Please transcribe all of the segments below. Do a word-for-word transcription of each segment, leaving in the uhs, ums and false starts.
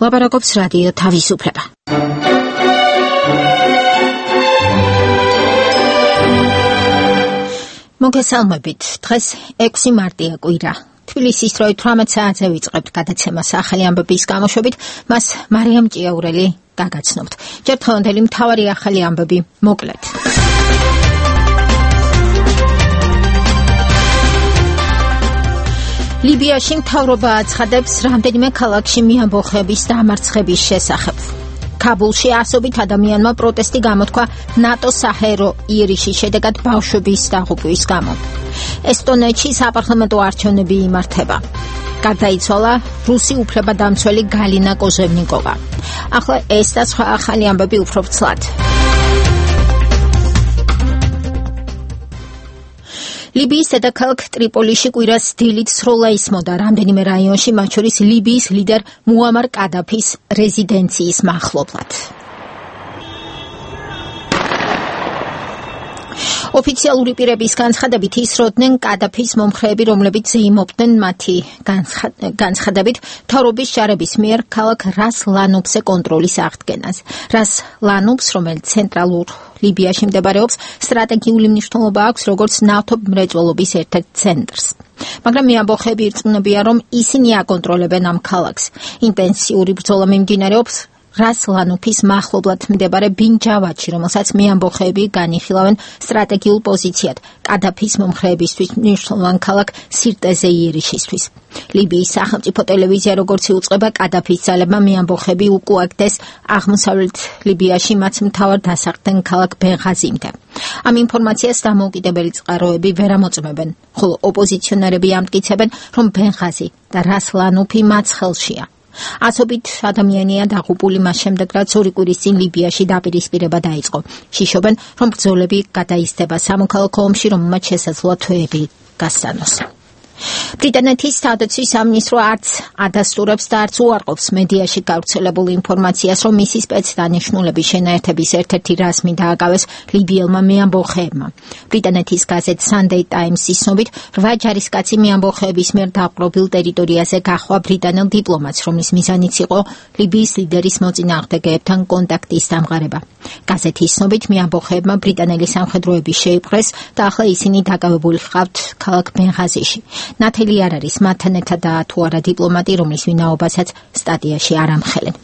ლაპარაკობს რადიო თავისუფლება. მოგესალმებით. დღეს ექვსი მარტია კვირა. თბილისის დროით თვრამეტ საათზე ვიწყებთ გადაცემას ახალი ამბების გამოშვებით, მას მარიამ ჭიაურელი გაგაცნობთ. ჯერ დღევანდელი მთავარი ახალი ამბები მოკლედ. ლიბიაში მთავრობა აცხადებს რამდენიმე ქალაქში მიამბოხების დამარცხების შესახებ. ქაბულში ასობით ადამიანმა პროტესტი გამოთქვა ნატოს საჰაერო იერიშის შედეგად ბავშვების დაღუპვის გამო. ესტონეთში საპარლამენტო არჩევნები იმართება. გარდაიცვალა რუსი უფლებადამცველი გალინა კოზევნიკოვა. ახლა ეს და სხვა ახალი ამბები უფრო ცლად. ლიბიის დედაქალაქ ტრიპოლიში კვირას დილით სროლა ისმოდა რამდენიმე რაიონში, მათ შორის ლიბიის ლიდერ მუამარ კადაფის რეზიდენციის მახლობლად. ოფიციალური პირების განცხადებით ისროდნენ კადაფის მომხრეები, რომლებიც ზეიმობდნენ მათი განცხადებით მთავრობის ჯარების მიერ ქალაქ რას ლანუბზე კონტროლის აღდგენას. რას ლანუბს, რომელიც ცენტრალურ ლიბიაში მდებარეობს, სტრატეგიული მნიშვნელობა აქვს როგორც ნავთობ მრეწველობის ერთ-ერთ ცენტრს. მაგრამ მიამბოხები ირწმუნებიან, რომ ისინი აკონტროლებენ ამ ქალაქს. ინტენსიური ბრძოლა მიმდინარეობს რას ლანუფის მახლობლად მდებარე ბინჯავადში, რომელსაც მიამბოხეები განიხილავენ სტრატეგიულ პოზიციად კადაფის მომხრეებისთვის მნიშვნელოვან ქალაქ სირტეზე იერიშისთვის. ლიბიის სახელმწიფო ტელევიზია როგორც იუწყება, კადაფის ძალებმა მიამბოხები უკუაგდეს აღმოსავლეთ ლიბიაში მათ მთავარ დასახდენ ქალაქ ბენღაზიმდე. ამ ინფორმაციას დამოუკიდებელი წყაროები ვერ ამოწმებენ, ხოლო ოპოზიციონერები ამტკიცებენ, რომ ბენღაზი და რას ლანუფი მათ ხელშია. ასობით ადამიანია დაღუპული მას შემდეგ, რაც ორი კვირის წინ ლიბიაში დაპირისპირება დაიწყო. შიშობენ, რომ ბრძოლები გადაიზრდება სამოქალაქო ომში, რომელმაც შესაძლოა თვეები გასცანოს. ბრიტანეთის თავდაცვის სამინისტრო არც ადასტურებს და არც უარყოფს მედიაში გავრცელებულ ინფორმაციას, რომ მისი სპეცდანიშნულების შენაერთების ერთ-ერთი რაზმი დააკავეს ლიბიელმა მიამბოხეებმა. ბრიტანეთის გაზეთ Sunday Times-ის ცნობით, რვა ჯარისკაცი მიამბოხეების მიერ დაპყრობილ ტერიტორიაზე გაჰყვა ბრიტანელ დიპლომატს, რომლის მიზანიც იყო ლიბიის ლიდერის მოწინააღმდეგეებთან კონტაქტის დამყარება. გაზეთის ცნობით, მიამბოხეებმა ბრიტანელი სამხედროები შეიპყრეს და ახლა ისინი დაკავებული ჰყავთ ქალაქ ბენღაზიში. ნათელი არ არის მათთან ერთადაა თუ არა დიპლომატი, რომლის ვინაობასაც სტატიაში არ ამხელენ.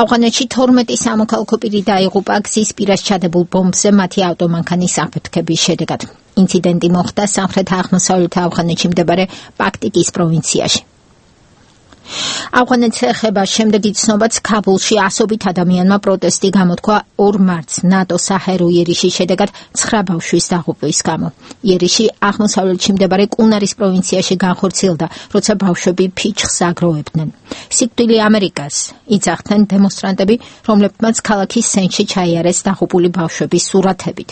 ავღანეთში თორმეტი სამოქალაქო პირი დაიღუპა გზის პირას ჩადებულ ბომბზე მათი ავტომანქანის აფეთქების შედეგად. ინციდენტი მოხდა სამხრეთ-აღმოსავლეთ ავღანეთში მდებარე პაქტიკის პროვინციაში. ავღანეთს ეხება შემდეგი ცნობაც, ქაბულში ასობით ადამიანმა პროტესტი გამოთქვა ორ მარტს ნატოს საჰაერო იერიშის შედეგად ცხრა ბავშვის დაღუპვის გამო. იერიში აღმოსავლეთში მდებარე კუნარის პროვინციაში განხორციელდა, როცა ბავშვები ფიჩხს აგროვებდნენ. სიკვდილი ამერიკას იცახდნენ დემონსტრანტები, რომლებმაც ქალაქის ცენტრში ჩაიარეს დაღუპული ბავშვების სურათებით.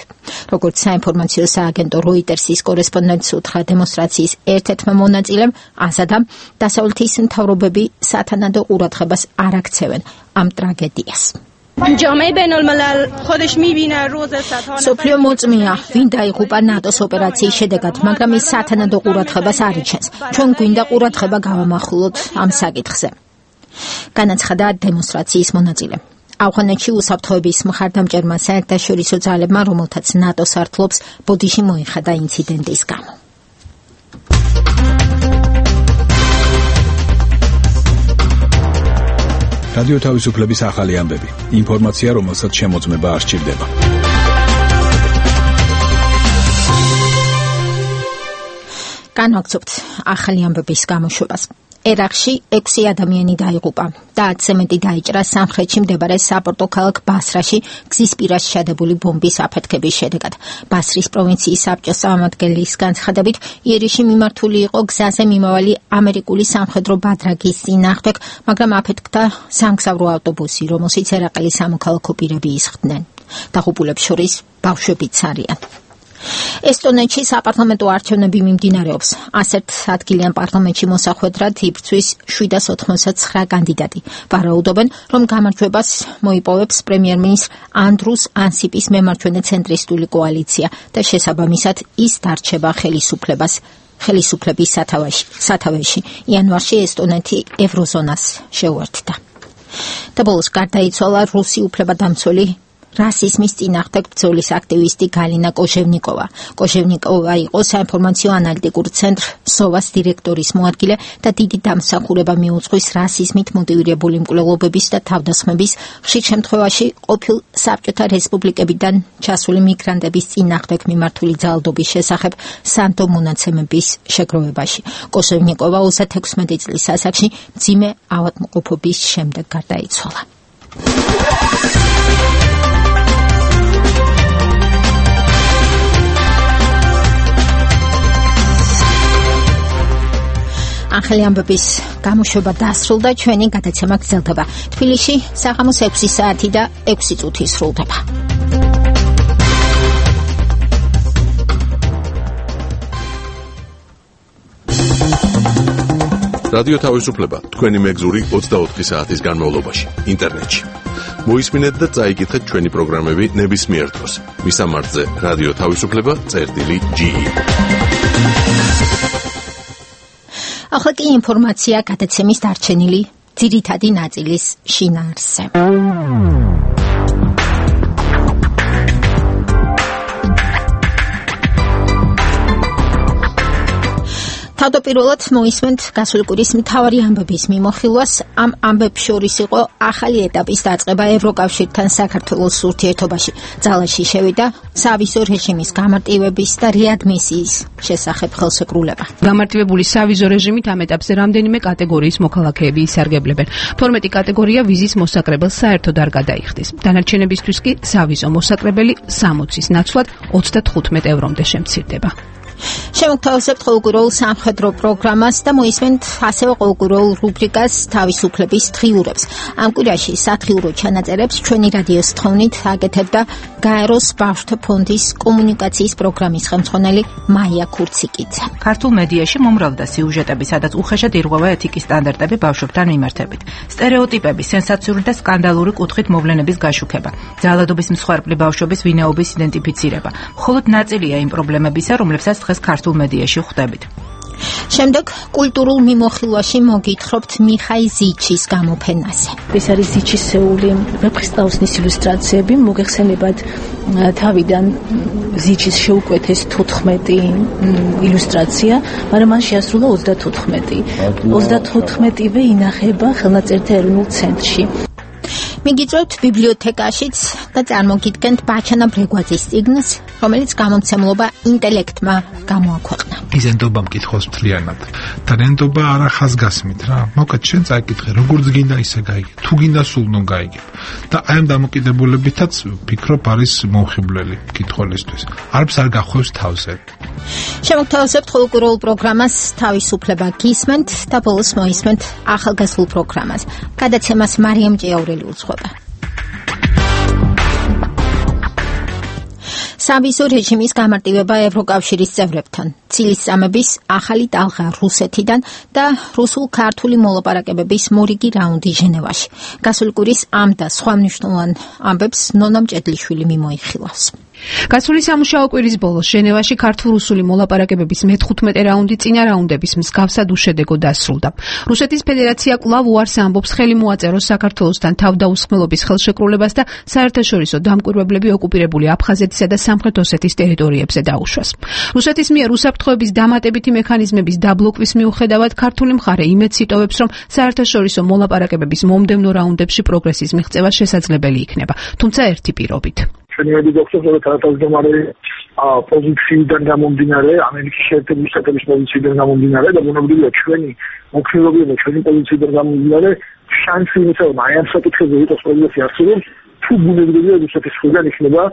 როგორც საინფორმაციო სააგენტო როიტერსის კორესპონდენტს უთხრა დემონსტრაციის ერთ-ერთმა მონაწილემ, აზადამ, დასავლეთის მთავრობები სათანადო ყურადღებას არ აქცევენ ამ ტრაგედიას. სოფლიო მოწმეა, ვინ დაიღუპა ნატოს ოპერაციის შედეგად, მაგრამ ის სათანადო ყურადღებას არ იჩენს. ჩვენ გვინდა ყურადღება გავამახვილოთ ამ საკითხზე. განაცხადა დემონსტრაციის მონაწილე. ავღანეთში უსაფრთხოების მხარდამჭერმა საერთაშორისო ძალებმა, რომელთაც ნატოს ართლობს, ბოდიში მოიხადა ინციდენტის გამო. რადიო თავისუფლების ახალი ამბები. ინფორმაცია, რომელსაც შემოწმება არ სჭირდება. განვაგრძობთ ახალი ამბების გამოშვებას. ერაყში ექვსი ადამიანი დაიღუპა და ათზე მეტი დაიჭრა სამხრეთში მდებარე საპორტო ქალაქ ბასრაში გზის პირას ჩადებული ბომბის აფეთქების შედეგად. ბასრის პროვინციის საბჭოს წარმომადგენლის განცხადებით, იერიში მიმართული იყო გზაზე მიმავალი ამერიკული სამხედრო ბადრაგის წინააღმდეგ, მაგრამ აფეთქდა სამგზავრო ავტობუსი, რომელშიც ერაყელი სამოქალაქო პირები ისხდნენ. დაღუპულებს შორის ბავშვებიც არიან. ესტონეთში საპარლამენტო არჩევნები მიმდინარეობს. ასეთ ადგილიან პარლამენტში მოსახვედრად იბრძვის შვიდას ოთხმოცდაცხრა კანდიდატი. ვარაუდობენ, რომ გამარჯვებას მოიპოვებს პრემიერ-მინისტრ ანდრუს ანსიპის მემარჯვენე ცენტრისტული კოალიცია და შესაბამისად ის დარჩება ხელისუფლებას ხელისუფლების სათავეში. სათავეში იანვარში ესტონეთი ევროზონას შეუერთდა. და ბოლოს გარდაიცვალა რუსი უფლებადამცველი რასიზმის წინააღმდეგ ბრძოლის აქტივისტი გალინა კოჟევნიკოვა. კოჟევნიკოვა იყო საინფორმაციო ანალიტიკურ ცენტრ სოვას დირექტორის მოადგილე და დიდი დამსახურება მიუძღვის რასიზმით მოტივირებული მკვლელობების და თავდასხმების, ხშირ შემთხვევაში ყოფილ საბჭოთა რესპუბლიკებიდან ჩასული მიგრანტების წინააღმდეგ მიმართული ძალადობის შესახებ სანდო მონაცემების შეგროვებაში. კოჟევნიკოვა ოცდაექვსმეტი წლის ასაკში მძიმე ავადმყოფობის შემდეგ გარდაიცვალა. ახალი ამბების გამოშვება დასრულდა, ჩვენი გადაცემა გრძელდება. თბილისში საღამოს ექვსი საათი და ექვსი წუთი სრულდება. რადიო თავისუფლება თქვენი მეგზური ოცდაოთხი საათის განმავლობაში ინტერნეტში. მოისმინეთ და წაიკითხეთ ჩვენი პროგრამები ნებისმიერ დროს. მისამართზე რადიო თავისუფლება წერტილი ჯი ი. ახლა კი ინფორმაცია გადაცემის დარჩენილი ძირითადი ნაწილის შინაარსზე. თავდაპირველად მოისმენთ გასული კვირის მთავარი ამბების მიმოხილვას. ამ ამბებს შორის იყო ახალი ეტაპის დაწყება ევროკავშირთან საქართველოს ურთიერთობაში. ძალაში შევიდა სავიზო რეჟიმის გამარტივების და რეადმისიის შესახებ ხელშეკრულება. გამარტივებული სავიზო რეჟიმით ამ ეტაპზე რამდენიმე კატეგორიის მოქალაქეები ისარგებლებენ. თორმეტი კატეგორია ვიზის მოსაკრებელს საერთოდ არ გადაიხდის. დანარჩენებისთვის კი სავიზო მოსაკრებელი სამოცის ნაცვლად ოცდათხუთმეტ ევრომდე შემცირდება. შემოგთავაზებთ ყოველკვირეულ სამხედრო პროგრამას და მოისმენთ ასევე ყოველკვირეულ რუბრიკას თავისუფლების დღიურებს. ამ კვირაში სათხიურო ჩანაწერებს ჩვენი რადიოს თხოვნით აკეთებდა გაეროს ბავშვთა ფონდის კომუნიკაციის პროგრამის ხელმძღვანელი მაია ქურციკიძე. ქართულ მედიაში მომრავლდა სიუჟეტები, სადაც უხეშად ირღვევა ეთიკის სტანდარტები ბავშვებთან მიმართებით. სტერეოტიპები, სენსაციური და სკანდალური კუთხით მოვლენების გაშუქება, ძალადობის მსხვერპლი ბავშვების ვინაობის იდენტიფიცირება. მხოლოდ ნაწილია იმ პრობლემებისა, რომლებსაც დღეს ქართულ მედიაში ხვდებით. შემდეგ კულტურულ მიმოხილვაში მოგითხრობთ მიხაი ზიჩის გამოფენაზე. ეს არის ზიჩისეული ვეფხისტყაოსნის ილუსტრაციები, მოგეხსენებათ თავიდან ზიჩის შეუკვეთეს თოთხმეტი ილუსტრაცია, მაგრამ მან შეასრულა ოცდათხუთმეტი. ოცდათხუთმეტივე ინახება ხელნაწერთა ეროვნულ ცენტრში. მიგიწევთ ბიბლიოთეკაშიც და წარმოგიდგენთ ბაჩანა ბრეგვაძის წიგნს, რომელიც გამომცემლობა ინტელექტმა გამოაქვეყნა. იზენდობა მკითხოს მთლიანად და რენდობა არა ხაზგასმით რა. მოკლედ შენ წაიკითხე, როგორც გინდა ისე გაიგებ, თუ გინდა სულ ნუ გაიგებ. და აი ამ დამოკიდებულებითაც ფიქრობ არის მომხიბვლელი მკითხველისთვის. არც არ გახვევს თავზე. შემოგთავაზებთ ყოველკვირეულ პროგრამას თავისუფლება გისმენთ და ბოლოს მოისმენთ ახალგაზრდულ პროგრამას. გადაცემას მარიამ ჭიაურელი უძღვება. სავიზო რეჟიმის გამარტივება ევროკავშირის წევრებთან, ცილისწამების ახალი ტალღა რუსეთიდან და რუსულ-ქართული მოლაპარაკებების მორიგი რაუნდი ჟენევაში. გასული კვირის ამ და სხვა მნიშვნელოვან ამბებს ნონა მჭედლიშვილი მიმოიხილავს. გასული სამუშაო კვირის ბოლოს ჟენევაში ქართულ-რუსული მოლაპარაკებების მეთხუთმეტე რაუნდი წინა რაუნდების მსგავსად უშედეგო დასრულდა. რუსეთის ფედერაცია კვლავ უარს ამბობს ხელი მოაწეროს საქართველოსთან თავდაუსხმელობის ხელშეკრულებას და საერთაშორისო დამკვირვებლები ოკუპირებული აფხაზეთისა და სამხრეთ ოსეთის ტერიტორიებზე დაუშვას. რუსეთის მიერ უსაფრთხოების დამატებითი მექანიზმების დაბლოკვის მიუხედავად ქართული მხარე იმედს იტოვებს, რომ საერთაშორისო მოლაპარაკებების მომდევნო რაუნდებში პროგრესის მიღწევა შესაძლებელი იქნება, თუმცა ერთი პირობით. ჩვენი მედიცინის თანათავმჯდომარე პოზიციიდან გამომდინარე, ამერიკის შეერთებული შტატების პოზიციიდან გამომდინარე და ბუნებრივია ჩვენი მოქალაქეობა და ჩვენი პოზიციიდან გამომდინარე, შანსი იმისა, რომ აი ამ საკითხებზე იყოს პროგრესი არსებობს, თუ ბუნებრივია რუსეთის მხრიდან იქნება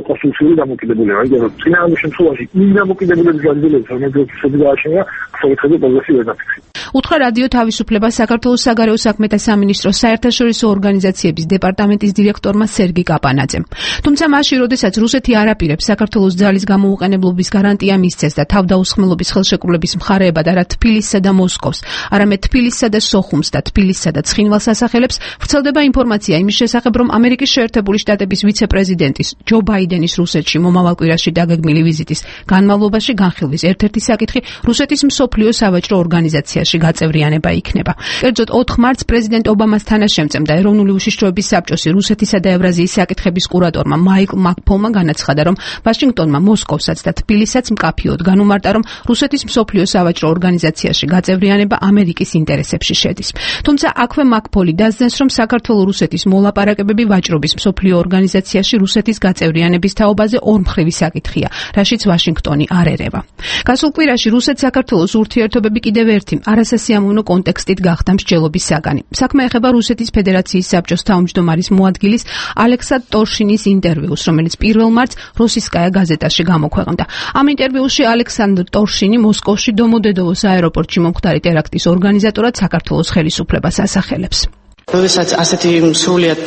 კონსტიტუციური დამოკიდებულება. იმიტომ რომ წინააღმდეგ შემთხვევაში იმ დამოკიდებულების განделების, რომელიც რუსეთს გააჩნია, საკითხებზე პროგრესი ვერ დაფიქსირდება. უთხრა რადიო თავისუფლება საქართველოს საგარეო საქმეთა სამინისტროს საერთაშორისო ორგანიზაციების დეპარტამენტის დირექტორმა სერგი კაპანაძემ. თუმცა მაშინ, როდესაც რუსეთი არ აპირებს საქართველოს ძალის გამოუყენებლობის გარანტია მისცეს და თავდაუსხმელობის ხელშეკრულების მხარეებად არა თბილისსა და მოსკოვს, არამედ თბილისსა და სოხუმს და თბილისსა და ცხინვალს ასახელებს, ვრცელდება ინფორმაცია იმის შესახებ, რომ ამერიკის შეერთებული შტატების ვიცე-პრეზიდენტის ჯო ბაიდენის რუსეთში მომავალ კვირაში დაგეგმილი ვიზიტის განმავლობაში განხილვის ერთ-ერთი საკითხი რუსეთის მსოფლიო სავაჭრო ორგანიზაციაში გაწევრიანება იქნება. კერძოდ ოთხ მარტს პრეზიდენტ ობამას თანაშემწემ და ეროვნული უშიშროების საბჭოსი რუსეთისა და ევრაზიის საკითხების კურატორმა მაიკლ მაკფოლმა განაცხადა, რომ ვაშინგტონმა მოსკოვსაც და თბილისსაც მკაფიოდ განუმარტა, რომ რუსეთის მსოფლიო სავაჭრო ორგანიზაციაში გაწევრიანება ამერიკის ინტერესებში შედის. თუმცა აქვე მაკფოლი დასძენს, რომ საქართველო-რუსეთის მოლაპარაკებები ვაჭრობის მსოფლიო ორგანიზაციაში რუსეთის გაწევრიანების თაობაზე ორმხრივი საკითხია, რაშიც ვაშინგტონი არ ერევა. გასულ კვირაში რუსეთ-საქართველოს ურთიერთობები კიდევ ერთი არასასიამოვნო კონტექსტით გახდა მსჯელობის საგანი. საქმე ეხება რუსეთის ფედერაციის საბჭოს თავმჯდომარის მოადგილის ალექსანდრ ტორშინის ინტერვიუს, რომელიც პირველ მარტს როსისკაია გაზეტაში გამოქვეყნდა. ამ ინტერვიუში ალექსანდრ ტორშინი მოსკოვში დომოდედოვოს აეროპორტში მომხდარი ტერაქტის ორგანიზატორად საქართველოს ხელისუფლებას ასახელებს. როდესაც ასეთი სრულიად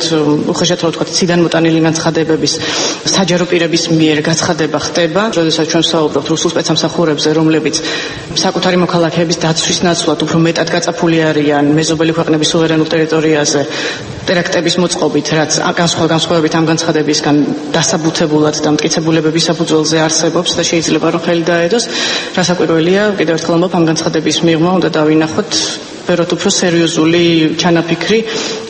უხეშად რა ვთქვათ, ციდან მოტანილი განცხადებების საჯარო პირების მიერ გაცხადება ხდება, როდესაც ჩვენ ვსაუბრობთ რუსულ სპეცსამსახურებზე, რომლებიც საკუთარი მოქალაქეების დაცვის ნაცვლად უფრო მეტად გაწაფული არიან მეზობელი ქვეყნების სუვერენულ ტერიტორიაზე ტერაქტების მოწყობით, რაც განსხვავებით ამ განცხადებისგან დასაბუთებულად და მტკიცებულებების საფუძველზე არსებობს და შეიძლება რომ ხელი დაედოს, რასაკვირველია, კიდევ ერთხელ ამბობ, ამ განცხადების მიღმა უნდა დავინახოთ ვეროთ უფრო სერიოზული ჩანაფიქრი,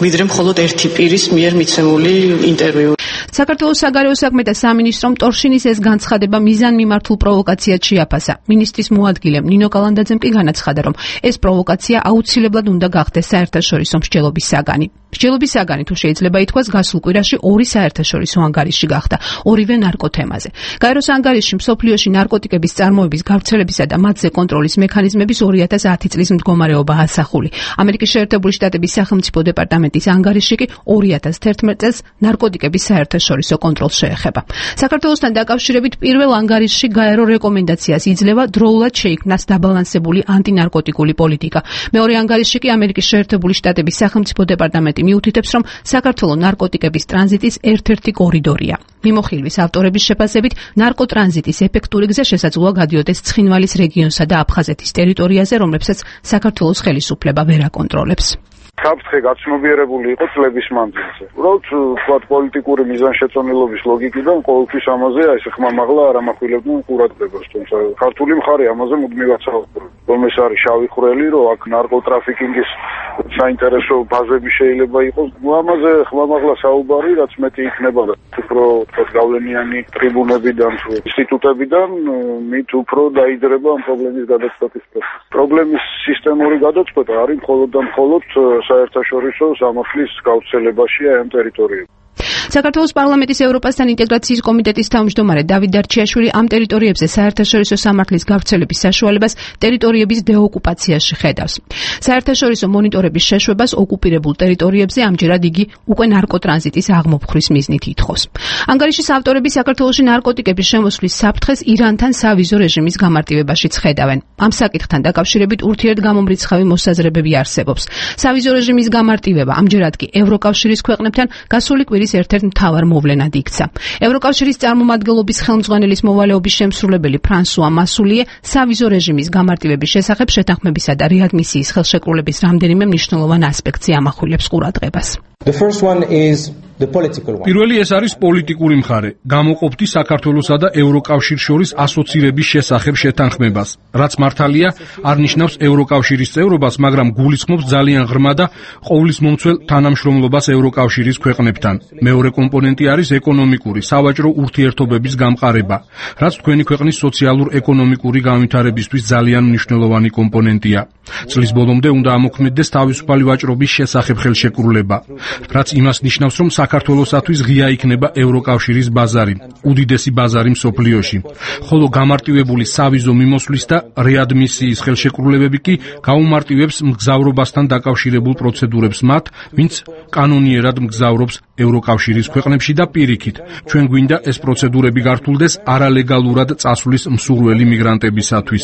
ვიდრე მხოლოდ ერთი პირის მიერ მიცემული ინტერვიუ. საქართველოს საგარეო საქმეთა სამინისტრომ ტორშინის ეს განცხადება მიზანმიმართულ პროვოკაციად შეაფასა. მინისტრის მოადგილემ ნინო კალანდაძემ კი განაცხადა, რომ ეს პროვოკაცია აუცილებლად უნდა გახდეს საერთაშორისო მსჯელობის საგანი. მსჯელობის საგანი, თუ შეიძლება ითქვას, გასულ კვირაში ორი საერთაშორისო ანგარიში გახდა, ორივე ნარკოთემაზე. გაეროს ანგარიში მსოფლიოში ნარკოტიკების წარმოების გავრცელებისა და მათზე კონტროლის მექანიზმების ორი ათას ათი წლის მდგომარეობა ასახული. ამერიკის შეერთებული შტატების სახელმწიფო დეპარტამენტის ანგარიში კი ორი ათას თერთმეტ წელს ნარკოტიკების საერთაშორისო კონტროლს შეეხება. საქართველოსთან დაკავშირებით პირველ ანგარიშში გაერო რეკომენდაციას იძლევა დროულად შეიქმნას დაბალანსებული ანტინარკოტიკული პოლიტიკა. მეორე ანგარიში კი ამერიკის შეერთებული შტატების სახელმწიფო დეპარტამენტი მიუთითებს, რომ საქართველო ნარკოტიკების ტრანზიტის ერთ-ერთი კორიდორია. მიმოხილვის ავტორების შეფასებით, ნარკოტრანზიტის ეფექტური გზა შესაძლოა გადიოდეს ცხინვალის რეგიონსა და აფხაზეთის ტერიტორიაზე, რომლებსაც საქართველოს ხელისუფლება ვერ აკონტროლებს. საფრთხე გაცნობიერებული იყო წლების მანძილზე. უბრალოდ ვთქვათ, პოლიტიკური მიზანშეწონილობის ლოგიკიდან ყოველთვის ამაზე აი ეს ხმამაღლა არ ამახვილებდნენ ყურადღებას, თუმცა ქართული მხარე ამაზე მუდმივად საუბრობს. რომ ეს არის შავი ხვრელი, რომ აქ ნარკოტრაფიკინგის საინტერესო ბაზები შეიძლება იყოს. ამაზე ხმამაღლა საუბარი, რაც მეტი იქნება და უფრო ვთქვათ, გავლენიანი ტრიბუნებიდან, ინსტიტუტებიდან, მით უფრო დაიძრება ამ პრობლემის გადაწყვეტის პროცესი. პრობლემის სისტემური გადაწყვეტა არის მხოლოდ და მხოლოდ საერთაშორისო სამართლის გავრცელებაშია ამ ტერიტორიებში. საქართველოს პარლამენტის ევროპასთან ინტეგრაციის კომიტეტის თავმჯდომარე დავით დარჩიაშვილი ამ ტერიტორიებზე საერთაშორისო სამართლის გავრცელების საშუალებას ტერიტორიების დეოკუპაციაში ხედავს. საერთაშორისო მონიტორების შეშვებას ოკუპირებულ ტერიტორიებზე ამჯერად იგი უკვე ნარკოტრანზიტის აღმოფხვის მიზნით ითხოვს. ანგარიშის ავტორები საქართველოში ნარკოტიკების შემოსვლის საფრთხეს ირანთან სავიზო რეჟიმის გამარტივებაშიც ხედავენ. ამ საკითხთან დაკავშირებით ურთიერთგამომრიცხავი მოსაზრებები არსებობს. სავიზო რეჟიმის გამარტივება ამჯერად კი ევროკავშირის ქვეყნებთან გასული კვირის ერთ-ერთ მთავარ მოვლენად იქცა. ევროკავშირის წარმომადგენლობის ხელმძღვანელის მოვალეობის შემსრულებელი ფრანსუა მასულიე სავიზო რეჟიმის გამარტივების შესახებ შეთანხმებისა და რეადმისიის ხელშეკრულების რამდენიმე მნიშვნელოვან ასპექტზე ამახვილებს ყურადღებას. პირველი ეს არის პოლიტიკური მხარე. გამოყოფდი საქართველოსა და ევროკავშირს შორის ასოცირების შესახებ შეთანხმებას, რაც მართალია არ ნიშნავს ევროკავშირის წევრობას, მაგრამ გულისხმობს ძალიან ღრმა და ყოვლისმომცველ თანამშრომლობას ევროკავშირის ქვეყნებთან. მეორე კომპონენტი არის ეკონომიკური, სავაჭრო ურთიერთობების გამყარება, რაც თქვენი ქვეყნის სოციალურ-ეკონომიკური განვითარებისთვის ძალიან მნიშვნელოვანი კომპონენტია. წლის ბოლომდე უნდა ამოქმედდეს თავისუფალი ვაჭრობის შესახებ ხელშეკრულება, რაც იმას ნიშნავს, რომ საქართველოსათვის ღია იქნება ევროკავშირის ბაზარი, უდიდესი ბაზარი მსოფლიოში. ხოლო გამარტივებული სავიზო მიმოსვლის და რეადმისიის ხელშეკრულებები კი გაუმარტივებს მგზავრობასთან დაკავშირებულ პროცედურებს მათ, ვინც კანონიერად მგზავრობს ევროკავშირის ქვეყნებში და პირიქით. ჩვენ გვინდა ეს პროცედურები გართულდეს არალეგალურად წასვლის მსურველი მიგრანტებისათვის.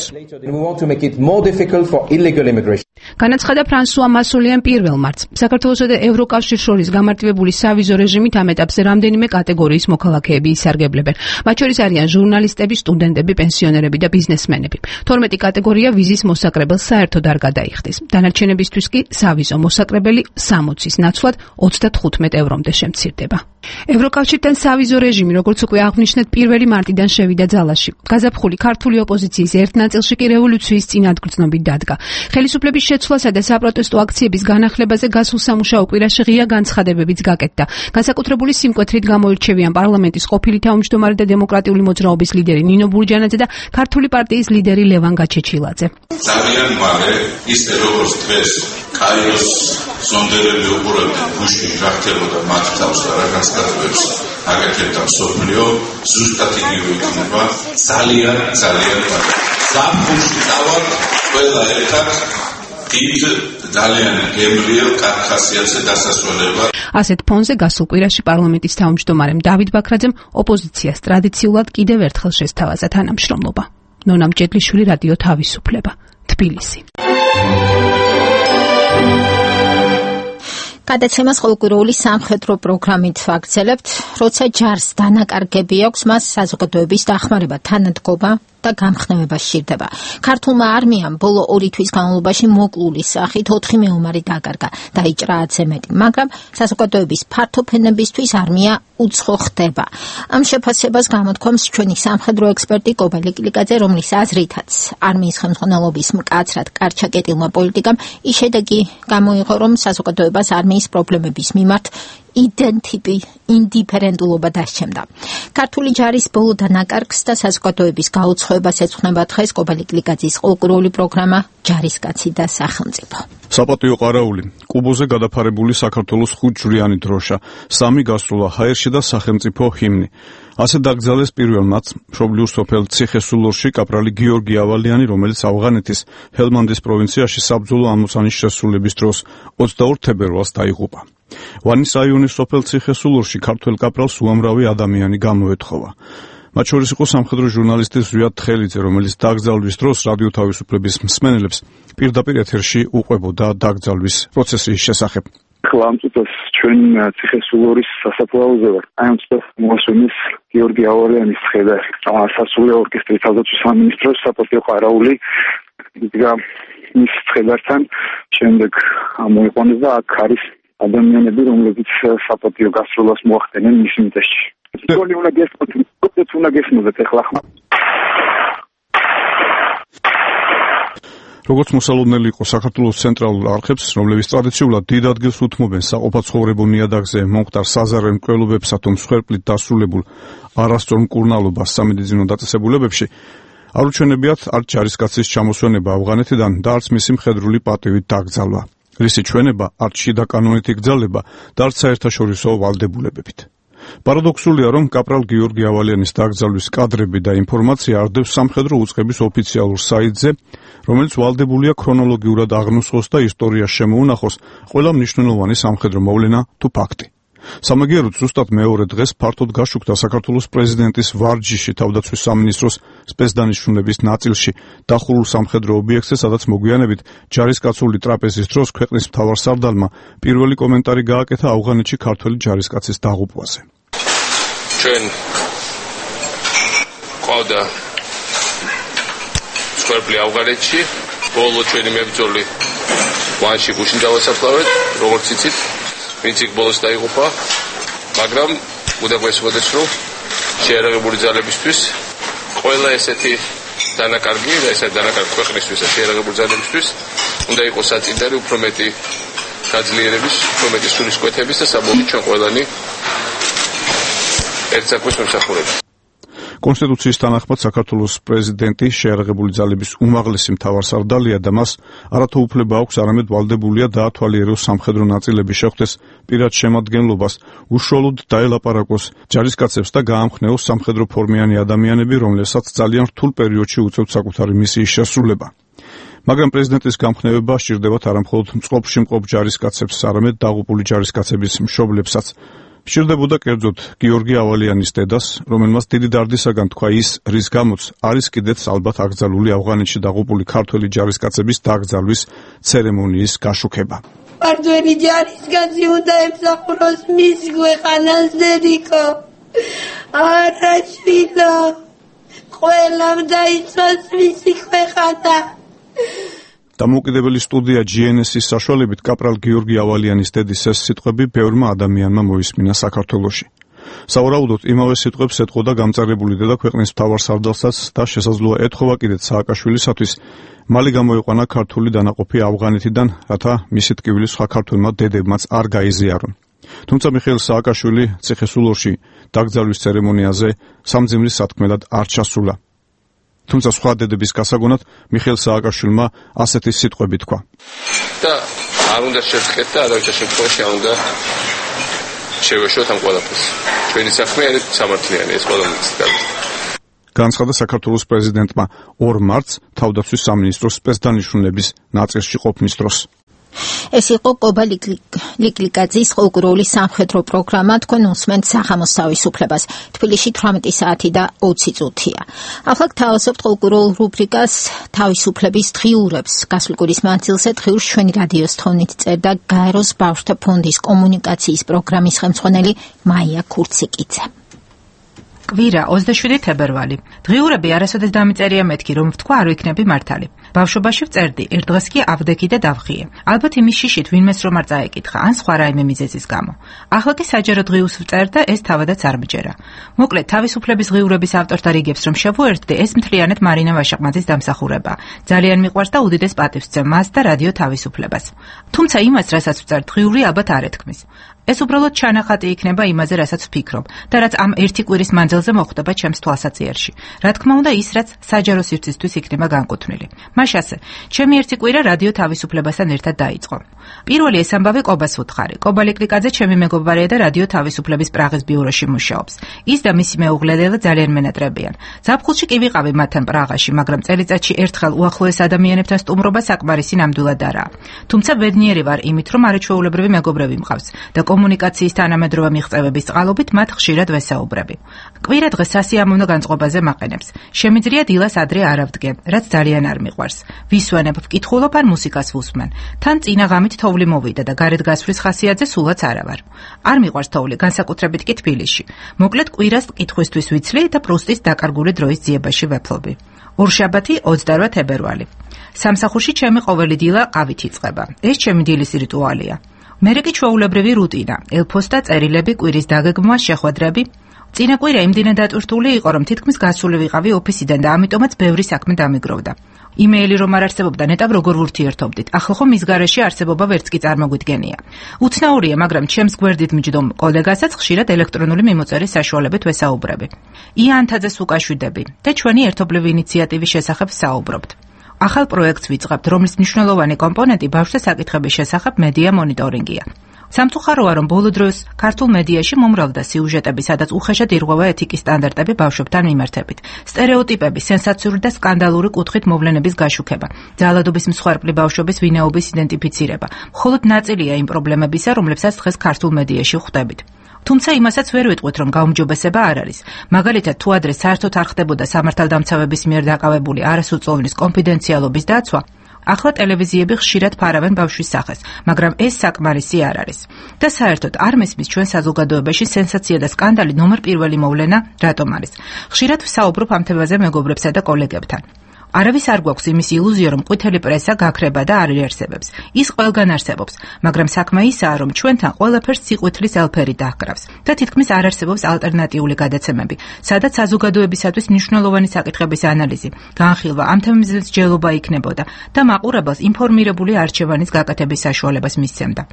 განაცხადა ფრანსუა მასოლიან პირველ მარტს. საქართველოსა და ევროკავშირს შორის გამარტივებული სავიზო რეჟიმით ამ ეტაპზე რამდენიმე კატეგორიის მოქალაქეები ისარგებლებენ. მათ შორის არიან ჟურნალისტები, სტუდენტები, პენსიონერები და ბიზნესმენები. თორმეტი კატეგორია ვიზის მოსაკრებელს საერთოდ არ გადაიხდის. დანარჩენებისთვის კი სავიზო მოსაკრებელი სამოცის ნაცვლად ოცდათხუთმეტ ევრომდე შემცირდება. ევროკავშირთან სავიზო რეჟიმი, როგორც უკვე აღნიშნეთ, პირველი მარტიდან შევიდა ძალაში. გაზაფხული ქართული ოპოზიციის ერთ ნაწილში კი რევოლუციის წინადგრძნობით დადგა. ხელისუფლების შეცვლასა და საპროტესტო აქციების განახლებაზე გასულ სამუშაო კვირაში ღია განცხადებებიც გაკეთდა. განსაკუთრებული სიმკვეთრით გამოირჩევიან პარლამენტის ყოფილი თავმჯდომარე და დემოკრატიული მოძრაობის ლიდერი ნინო ბურჯანაძე და ქართული პარტიის ლიდერი ლევან გაჩეჩილაძე. ძალიან მალე ისე როგორც დღეს კაიროს სონდერები უყურებდნენ გუშინ რა ხდებოდა მათ თავს და რა განცხადებებს აკეთებდა მსოფლიო, ზუსტად იგივე იქნება ძალიან ძალიან მალე. ზაფხულში დავარ ყველა ერთად დიდ ძალიან გემრიელ კახასიათზე დასასრულება. ასეთ ფონზე გასულ კვირაში პარლამენტის თავმჯდომარემ დავით ბაქრაძემ ოპოზიციას ტრადიციულად კიდევ ერთხელ შესთავაზა თანამშრომლობა. ნონა მჭედლიშვილი, რადიო თავისუფლება, თბილისი. გადაცემას ყოველკვირეული სამხედრო პროგრამით ვაგრძელებთ, როცა ჯარს დანაკარგები აქვს, მას საზოგადოების დახმარება, თანადგობა და გამხნევება სჭირდება. ქართულმა არმიამ ბოლო ორი თვის განმავლობაში მოკლული სახით ოთხი მეომარი დაკარგა, დაიჭრა ათზე მეტი, მაგრამ საზოგადოების ფართოფენებისთვის არმია უცხო ხდება. ამ შეფასებას გამოთქვამს ჩვენი სამხედრო ექსპერტი კობალე კილიკაძე, რომლის აზრითაც არმიის ხელმძღვანელობის მკაცრად კარჩაკეტილმა პოლიტიკამ ის შედეგი გამოიღო, რომ საზოგადოებას არმიის პრობლემების მიმართ იდენტიპი ინდიფერენტულობა დასჩემდა. ქართული ჯარის ბოლო დანაკარგს და საზოგადოების გაუცხოებას ეძღვნება დღეს კობალე კილიკაძის ყოველკვირეული პროგრამა ჯარისკაცი და სახელმწიფო. საპატიო ყარაული, კუბოზე გადაფარებული საქართველოს ხუთჯვრიანი დროშა, სამი გასროლა ჰაერში და სახელმწიფო ჰიმნი. ასე დაკრძალეს პირველ მათს მშობლიურ სოფელ ციხესულორში კაპრალი გიორგი ავალიანი, რომელიც ავღანეთის ჰელმანდის პროვინციაში საბრძოლო ამოცანის შესრულების დროს ოცდაორ თებერვალს დაიღუპა. ვანის რაიონის სოფელ ციხესულორში ქართველ კაპრალს უამრავი ადამიანი გამოეთხოვა. მათ შორის იყო სამხედრო ჟურნალისტი ზვიად თხელიძე, რომელიც დაკრძალვის დროს რადიო თავისუფლების მსმენელებს პირდაპირ ეთერში უყვებოდა დაკრძალვის პროცესის შესახებ. ახლა ამ წუთას ჩვენ ციხესულორის სასაფლაოზე ვარ. აი ამ წუთას მოსვენის გიორგი ავალიანის ხედა სასულე ორკესტრის თავდაცვის სამინისტროს საპატიო ყარაული იდგა მის ხედასთან. შემდეგ მოიყვანეს და აქ არის ადამიანები, რომლებიც საპატიო გასროლას მოახდენენ მის მიწაში. თქონი უნდა გესმოთ, უნდა გესმოდეთ ახლა. როგორც მოსალოდნელი იყო საქართველოს ცენტრალურ არხებს, რომლებიც ტრადიციულად დიდ ადგილს უთმობენ საყოფაცხოვრებო ნიადაგზე მომხდარ საზარელ მკვლელობებსა თუ მსხვერპლით დასრულებულ არასწორ მკურნალობას სამედიცინო დაწესებულებებში, არ უჩვენებიათ არც ჯარისკაცის ჩამოსვენება ავღანეთიდან და არც მისი მხედრული პატივით დაკრძალვა. რისი ჩვენება არც შიდა კანონით იგრძალება და არც საერთაშორისო ვალდებულებებით. პარადოქსულია, რომ კაპრალ გიორგი ავალიანის დაკრძალვის კადრები და ინფორმაცია არდევს სამხედრო უწყების ოფიციალურ საიტზე, რომელიც ვალდებულია ქრონოლოგიურად აღნუსხოს და ისტორიას შემოუნახოს ყველა მნიშვნელოვანი სამხედრო მოვლენა თუ ფაქტი. სამაგიეროდ ზუსტად მეორე დღეს ფართოდ გაშუქდა საქართველოს პრეზიდენტის ვარჯიში თავდაცვის სამინისტროს სპეცდანიშნულების ნაწილში დახურულ სამხედრო ობიექტზე, სადაც მოგვიანებით ჯარისკაცული ტრაპეზის დროს ქვეყნის მთავარსარდალმა პირველი კომენტარი გააკეთა ავღანეთში ქართველი ჯარისკაცის დაღუპვაზე. ჩვენ ყავდა მსხვერპლი ავღანეთში, ბოლო ჩვენი მებრძოლი ვანში გუშინ დავასაფლავეთ, როგორც იცით, ვინც იქ ბოლოს დაიღუპა, მაგრამ უნდა გვესმოდეს, რომ შეიარაღებული ძალებისთვის ყველა ესეთი დანაკარგი და ესეთი დანაკარგი ქვეყნისთვის და შეიარაღებული ძალებისთვის უნდა იყოს საწინდარი უფრო მეტი გაძლიერების, უფრო მეტი სულისკვეთების და საბოლოოდ ჩვენ ყველანი ერთ საქმეს ვიმსახურებთ. კონსტიტუციის თანახმად საქართველოს პრეზიდენტი შეიარაღებული ძალების უმაღლესი მთავარსარდალია და მას არათუ უფლება აქვს, არამედ ვალდებულია დაათვალიეროს სამხედრო ნაწილების შეხვდეს პირად შემადგენლობას, უშუალოდ დაელაპარაკოს ჯარისკაცებს და გაამხნეოს სამხედრო ფორმიანი ადამიანები, რომლებსაც ძალიან რთულ პერიოდში უწევთ საკუთარი მისიის შესრულება. მაგრამ პრეზიდენტის გამხნევება სჭირდებათ არამხოლოდ მწყობრში მყოფ ჯარისკაცებს, არამედ დაღუპული ჯარისკაცების მშობლებსაც. სჭირდებოდა კერძოდ გიორგი ავალიანის დედას, რომელმაც დიდი დარდისაგან თქვა ის, რის გამოც არის კიდეც ალბათ აკრძალული ავღანეთში დაღუპული ქართველი ჯარისკაცების დაკრძალვის ცერემონიის გაშუქება. ქართველი ჯარისკაცი უნდა ემსახუროს მის ქვეყანას, დედიკო. არა შვილო, ყველამ დაიცვას მისი ქვეყანა. დამოუკიდებელი სტუდია ჯი εν ეს-ის საშუალებით კაპრალ გიორგი ავალიანის დედის ეს სიტყვები ბევრმა ადამიანმა მოისმინა საქართველოში. სავარაუდოდ იმავე სიტყვებს ეტყოდა გამწარებული დედა ქვეყნის მთავარსარდალსაც და შესაძლოა ეთხოვა კიდეც სააკაშვილისათვის მალე გამოიყვანა ქართული დანაყოფი ავღანეთიდან, რათა მისი ტკივილი სხვა ქართველმა დედებმაც არ გაიზიარონ. თუმცა მიხეილ სააკაშვილი ციხესულორში დაკრძალვის ცერემონიაზე სამძიმრის სათქმელად არ ჩასულა. თუმცა სხვა დედების გასაგონად მიხეილ სააკაშვილმა ასეთი სიტყვები თქვა. და არ უნდა შევხეთ და არავითარ შემთხვევაში არ უნდა შევეშოთ ამ ყველაფერს. ჩვენი საქმე არის სამართლიანი, ეს ყველამიც გაქვს. განცხადა საქართველოს პრეზიდენტმა ორ მარტს თავდაცვის სამინისტროს სპეცდანიშნულების ნაწილში ყოფნის დროს. ეს იყო კობა ლიკლიკაძის ყურგრული სამხედრო პროგრამა. თქვენ უსმენთ სახამოს თავისუფლებას. თბილისში თვრამეტი საათი და ოცი წუთია. ახლა გთავაზობთ ყურგრულ რუბრიკას თავისუფლების დღიურებს. გასული კვირის მანძილზე დღიურს ჩვენი რადიოს თხოვნით წერდა გაეროს ბავშვთა ფონდის კომუნიკაციის პროგრამის ხელმძღვანელი მაია ქურციკიძე. კვირა ოცდაშვიდი თებერვალი. დღიურები არასოდეს დამიწერია მეთქი, რომ ვთქვა არ ვიქნები მართალი. ბავშვობაში ვწერდი, ერთ დღეს კი ავდექი და დავხიე. ალბათ იმის შიშით ვინმეს რომ არ წაეკითხა, ან სხვა რაიმე მიზეზის გამო. ახლა კი საჯარო დღიურს ვწერ და ეს თავადაც არ მჯერა. მოკლედ, თავისუფლების დღიურების ავტორთა რიგებს რომ შევუერთდი, ეს მთლიანად მარინა ვაშაყმაძის დამსახურება. ძალიან მიყვარს და უდიდეს პატივს ვცემ მას და რადიო თავისუფლებას. თუმცა იმას, რასაც ვწერ დღიური, ალბათ არ ეთქმის. ეს უბრალოდ ჩანახატი იქნება იმაზე, რასაც ვფიქრობ და რაც ამ ერთი კვირის მანძილზე მოხდება ჩემს თვალსაჩინოში. რა თქმა უნდა, ის რაც საჯარო სივრცისთვის იქნება განკუთვნილი. მაშ ასე, ჩემი ერთი კვირა რადიო თავისუფლებასთან ერთად დაიწყო. პირველი ეს ამბავი კობას ვუთხარი. კობა ლიკლიკაძე ჩემი მეგობარია და რადიო თავისუფლების პრაღის ბიუროში მუშაობს. ის და მისი მეუღლე ლელა ძალიან მენატრებიან. ზაფხულში კი ვიყავი მათთან პრაღაში, მაგრამ წელიწადში ერთხელ უახლოეს ადამიანებთან სტუმრობა საკმარისი ნამდვილად არაა. თუმცა ბედნიერი ვარ იმით, რომ არაჩვეულებრივი მეგობრები მყავს და კომუნიკაციის თანამედროვე მიღწევების წყალობით მათ ხშირად ვესაუბრები. კვირა დღეს სასიამოვნო განწყობაზე მაყენებს. შემიძლია დილას ადრე არ ავდგე, რაც ძალიან არ მიყვარს. ვისვენებ, ვკითხულობ ან მუსიკას ვუსმენ. თან წინა ღამით თოვლი მოვიდა და გარეთ გასვლის ხასიათზე სულაც არა ვარ. არ მიყვარს თოვლი, განსაკუთრებით კი თბილისში. მოკლედ კვირას კითხვისთვის ვიცლი და პრუსტის დაკარგული დროის ძიებაში ვეფლობი. ორშაბათი ოცდაოთხ თებერვალი. სამსახურში ჩემი ყოველი დილა ყავით იწყება. ეს ჩემი დილის რიტუალია. მერე კი ჩვეულებრივი რუტინა, ელფოსტა წერილები, კვირის დაგეგმვა, შეხვედრები. წინა კვირა იმდენად დატვირთული იყო, რომ თითქმის გასული ვიყავი ოფისიდან და ამიტომაც ბევრი საქმე დამიგროვდა. იმეილი რომ არ არსებობდა, ნეტავ როგორ ვურთიერთობდით. ახლა ხომ მის გარეშე არსებობა ვერც კი წარმოგვიდგენია. უცნაურია, მაგრამ ჩემს გვერდით მჯდომ კოლეგასაც ხშირად ელექტრონული მიმოწერის საშუალებით ვესაუბრები. იანთაძეს უკაშვიდები და ჩვენი ერთობლივი ინიციატივის შესახებ საუბრობთ. ახალ პროექტს ვიწყებთ, რომლის მნიშვნელოვანი კომპონენტი ბავშვთა საკითხების შესახებ მედია მონიტორინგია. სამწუხაროა, რომ ბოლო დროს ქართულ მედიაში მომრავლდა სიუჟეტები, სადაც უხეშად ირღვევა ეთიკის სტანდარტები ბავშვებთან მიმართებით. სტერეოტიპები, სენსაციური და სკანდალური კუთხით მოვლენების გაშუქება, ძალადობის მსხვერპლი ბავშვების ვინაობის იდენტიფიცირება. მხოლოდ ნაწილია იმ პრობლემებისა, რომლებსაც დღეს ქართულ მედიაში ხვდებით. თუმცა იმასაც ვერ ვიტყვით, რომ გაუმჯობესება არ არის. მაგალითად, თუ ადრე საერთოდ არ ხდებოდა სამართალდამცავების მიერ დაკავებული არასრულწლოვნის კონფიდენციალობის დაცვა, ახლა ტელევიზიები ხშირად ფარავენ ბავშვის სახეს, მაგრამ ეს საკმარისი არ არის. და საერთოდ არ მესმის ჩვენ საზოგადოებაში სენსაცია და სკანდალი ნომერ პირველი მოვლენა რატომ არის. ხშირად ვსაუბრობ ამ თემაზე მეგობრებსა და კოლეგებთან. არავის არ გვაქვს იმის ილუზია, რომ ყვითელი პრესა გაქრება და არ იარსებებს. ის ყველგან არსებობს, მაგრამ საქმე ისაა, რომ ჩვენთან ყველაფერს სიყვითლის ელფერი დაჰკრავს და თითქმის არ არსებობს ალტერნატიული გადაცემები, სადაც საზოგადოებისათვის მნიშვნელოვანი საკითხების ანალიზი, განხილვა, ამ თემებზე მსჯელობა იქნებოდა და მაყურებელს ინფორმირებული არჩევანის გაკეთების საშუალებას მისცემდა.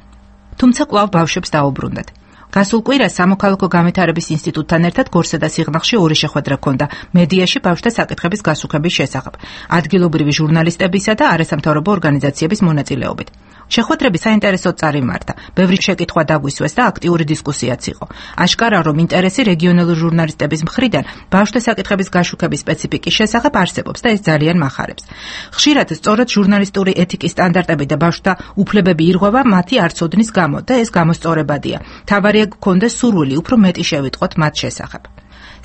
თუმცა კვლავ ბავშვებს დაუბრუნდათ. გასულ კვირას სამოქალაქო განვითარების ინსტიტუტთან ერთად გორსა და სიღნაღში ორი შეხვედრა ჰქონდა მედიაში ბავშვთა საკითხების გასუქების შესახებ, ადგილობრივი ჟურნალისტებისა და არასამთავრობო ორგანიზაციების მონაწილეობით. შეხვედრები საინტერესოდ წარიმართა, ბევრი შეკითხვა დაგვისვეს და აქტიური დისკუსიაც იყო. აშკარა, რომ ინტერესი რეგიონალური ჟურნალისტების მხრიდან ბავშვთა საკითხების გაშუქების სპეციფიკის შესახებ არსებობს და ეს ძალიან მახარებს. ხშირად სწორედ ჟურნალისტური ეთიკის სტანდარტები და ბავშვთა უფლებები ირღვევა მათი არცოდნის გამო და ეს გამოსწორებადია. თავარია გქონდეს სურვილი უფრო მეტი შევიტყოთ მათ შესახებ.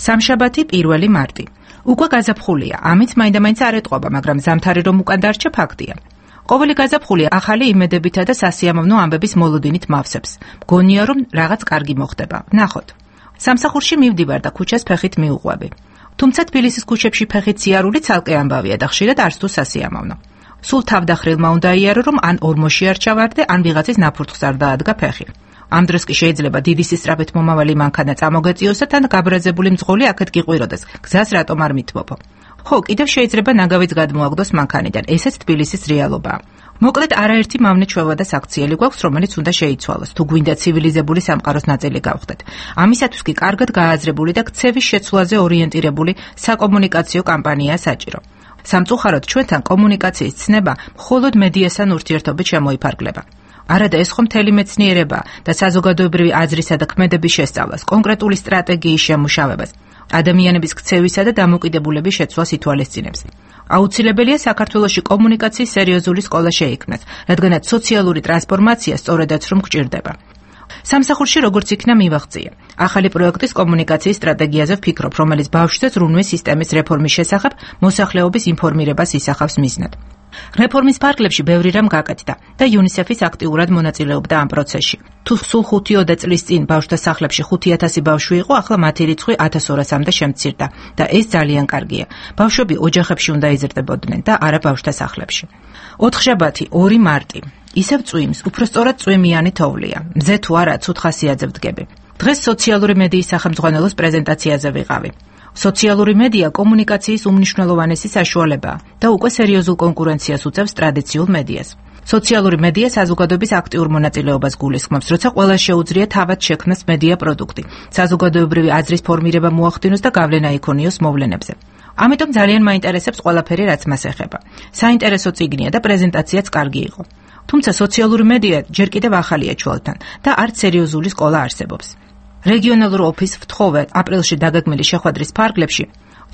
სამშაბათი პირველი მარტი. უკვე გაზაფხულია, ამით მაინდა-მაინც არ ეტყობა, მაგრამ ზამთარი რომ უკან დარჩა ფაქტია. ყოველი გაზაფხული ახალი იმედებითა და სასიამოვნო ამბების მოლოდინით მავსებს. მგონია, რომ რაღაც კარგი მოხდება. ნახოთ. სამსახურში მივდივარ და ქუჩას ფეხით მიუყვები. თუმცა თბილისის ქუჩებში ფეხით სიარული ცალკე ამბავია და ხშირად არც თუ სასიამოვნო. სულ თავდახრილმა უნდა იარო, რომ ან ორმოში არ ჩავარდე, ან ვიღაცის ნაფურთხს არ დაადგა ფეხი. ამ დროს კი შეიძლება დიდი სისწრაფით მომავალი მანქანა წამოგეწიოსა თან გაბრაზებული მძღოლი აქეთ გიყვიროდეს. გზას რატომ არ მithბობო? ხო, კიდევ შეიძლება ნაგავიც გადმოაგდოს მანქანიდან, ესეც თბილისის რეალობაა. მოკლედ არაერთი მავნე ჩვევა და საქციელი გვაქვს, რომელიც უნდა შეიცვალოს, თუ გვინდა ცივილიზებული სამყაროს ნაწილი გავხდეთ. ამისათვის კი კარგად გააზრებული და ქცევის შეცვლაზე ორიენტირებული საკომუნიკაციო კამპანიაა საჭირო. სამწუხაროდ ჩვენთან კომუნიკაციის ცნება მხოლოდ მედიასთან ურთიერთობით შემოიფარგლება. არადა ეს ხომ მთელი მეცნიერებაა და საზოგადოებრივი აზრისა და ქმედების შესწავლას, კონკრეტული სტრატეგიის შემუშავებას, ადამიანების ქცევისა და დამოკიდებულების შეცვლას ითვალისწინებს. აუცილებელია საქართველოში კომუნიკაციის სერიოზული სკოლა შეიქმნას, რადგანაც სოციალური ტრანსფორმაცია სწორედაც რომ გჭირდება. სამსახურში როგორც იქნა მივაღწია. ახალი პროექტის კომუნიკაციის სტრატეგიაზე ვფიქრობ, რომელიც ბავშვთა ზრუნვის სისტემის რეფორმის შესახებ მოსახლეობის ინფორმირებას ისახავს მიზნად. რეფორმის ფარგლებში ბევრი რამ გაკეთდა და იუნისეფის აქტიურად მონაწილეობდა ამ პროცესში. თუ სულ ხუთი-ოცდაათი წლის წინ ბავშვთა სახლებში ხუთი ათასი ბავშვი იყო, ახლა მათი რიცხვი ათას ორასამდე შემცირდა და ეს ძალიან კარგია. ბავშვები ოჯახებში უნდა იზრდებოდნენ და არა ბავშვთა სახლებში. ოთხშაბათი, ორი მარტი. ისევ წვიმს, უფრო სწორად წვიმიანი თოვლია. მზე თუ არა, ცუდ ხასიათზე ვდგები. დღეს სოციალური მედიის სახელმძღვანელოს პრეზენტაციაზე ვიყავი. სოციალური მედია კომუნიკაციის უმნიშვნელოვანესი საშუალებაა და უკვე სერიოზულ კონკურენციას უწევს ტრადიციულ მედიას. სოციალური მედია საზოგადოების აქტიურ მონაწილეობას გულისხმობს, როცა ყველა შეუძლია თავად შექმნას მედია პროდუქტი, საზოგადოებრივი აზრის ფორმირება მოახდინოს და გავლენა იქონიოს მოვლენებზე. ამიტომ ძალიან მაინტერესებს ყველაფერი, რაც მას ეხება. საინტერესო წიგნია და პრეზენტაციაც კარგი იყო. თუმცა სოციალური მედია ჯერ კიდევ ახალია ჩვენთან და არც სერიოზული სკოლა არსებობს. რეგიონალურ ოფისს ვთხოვე აპრილში დაგეგმილი შეხვედრის ფარგლებში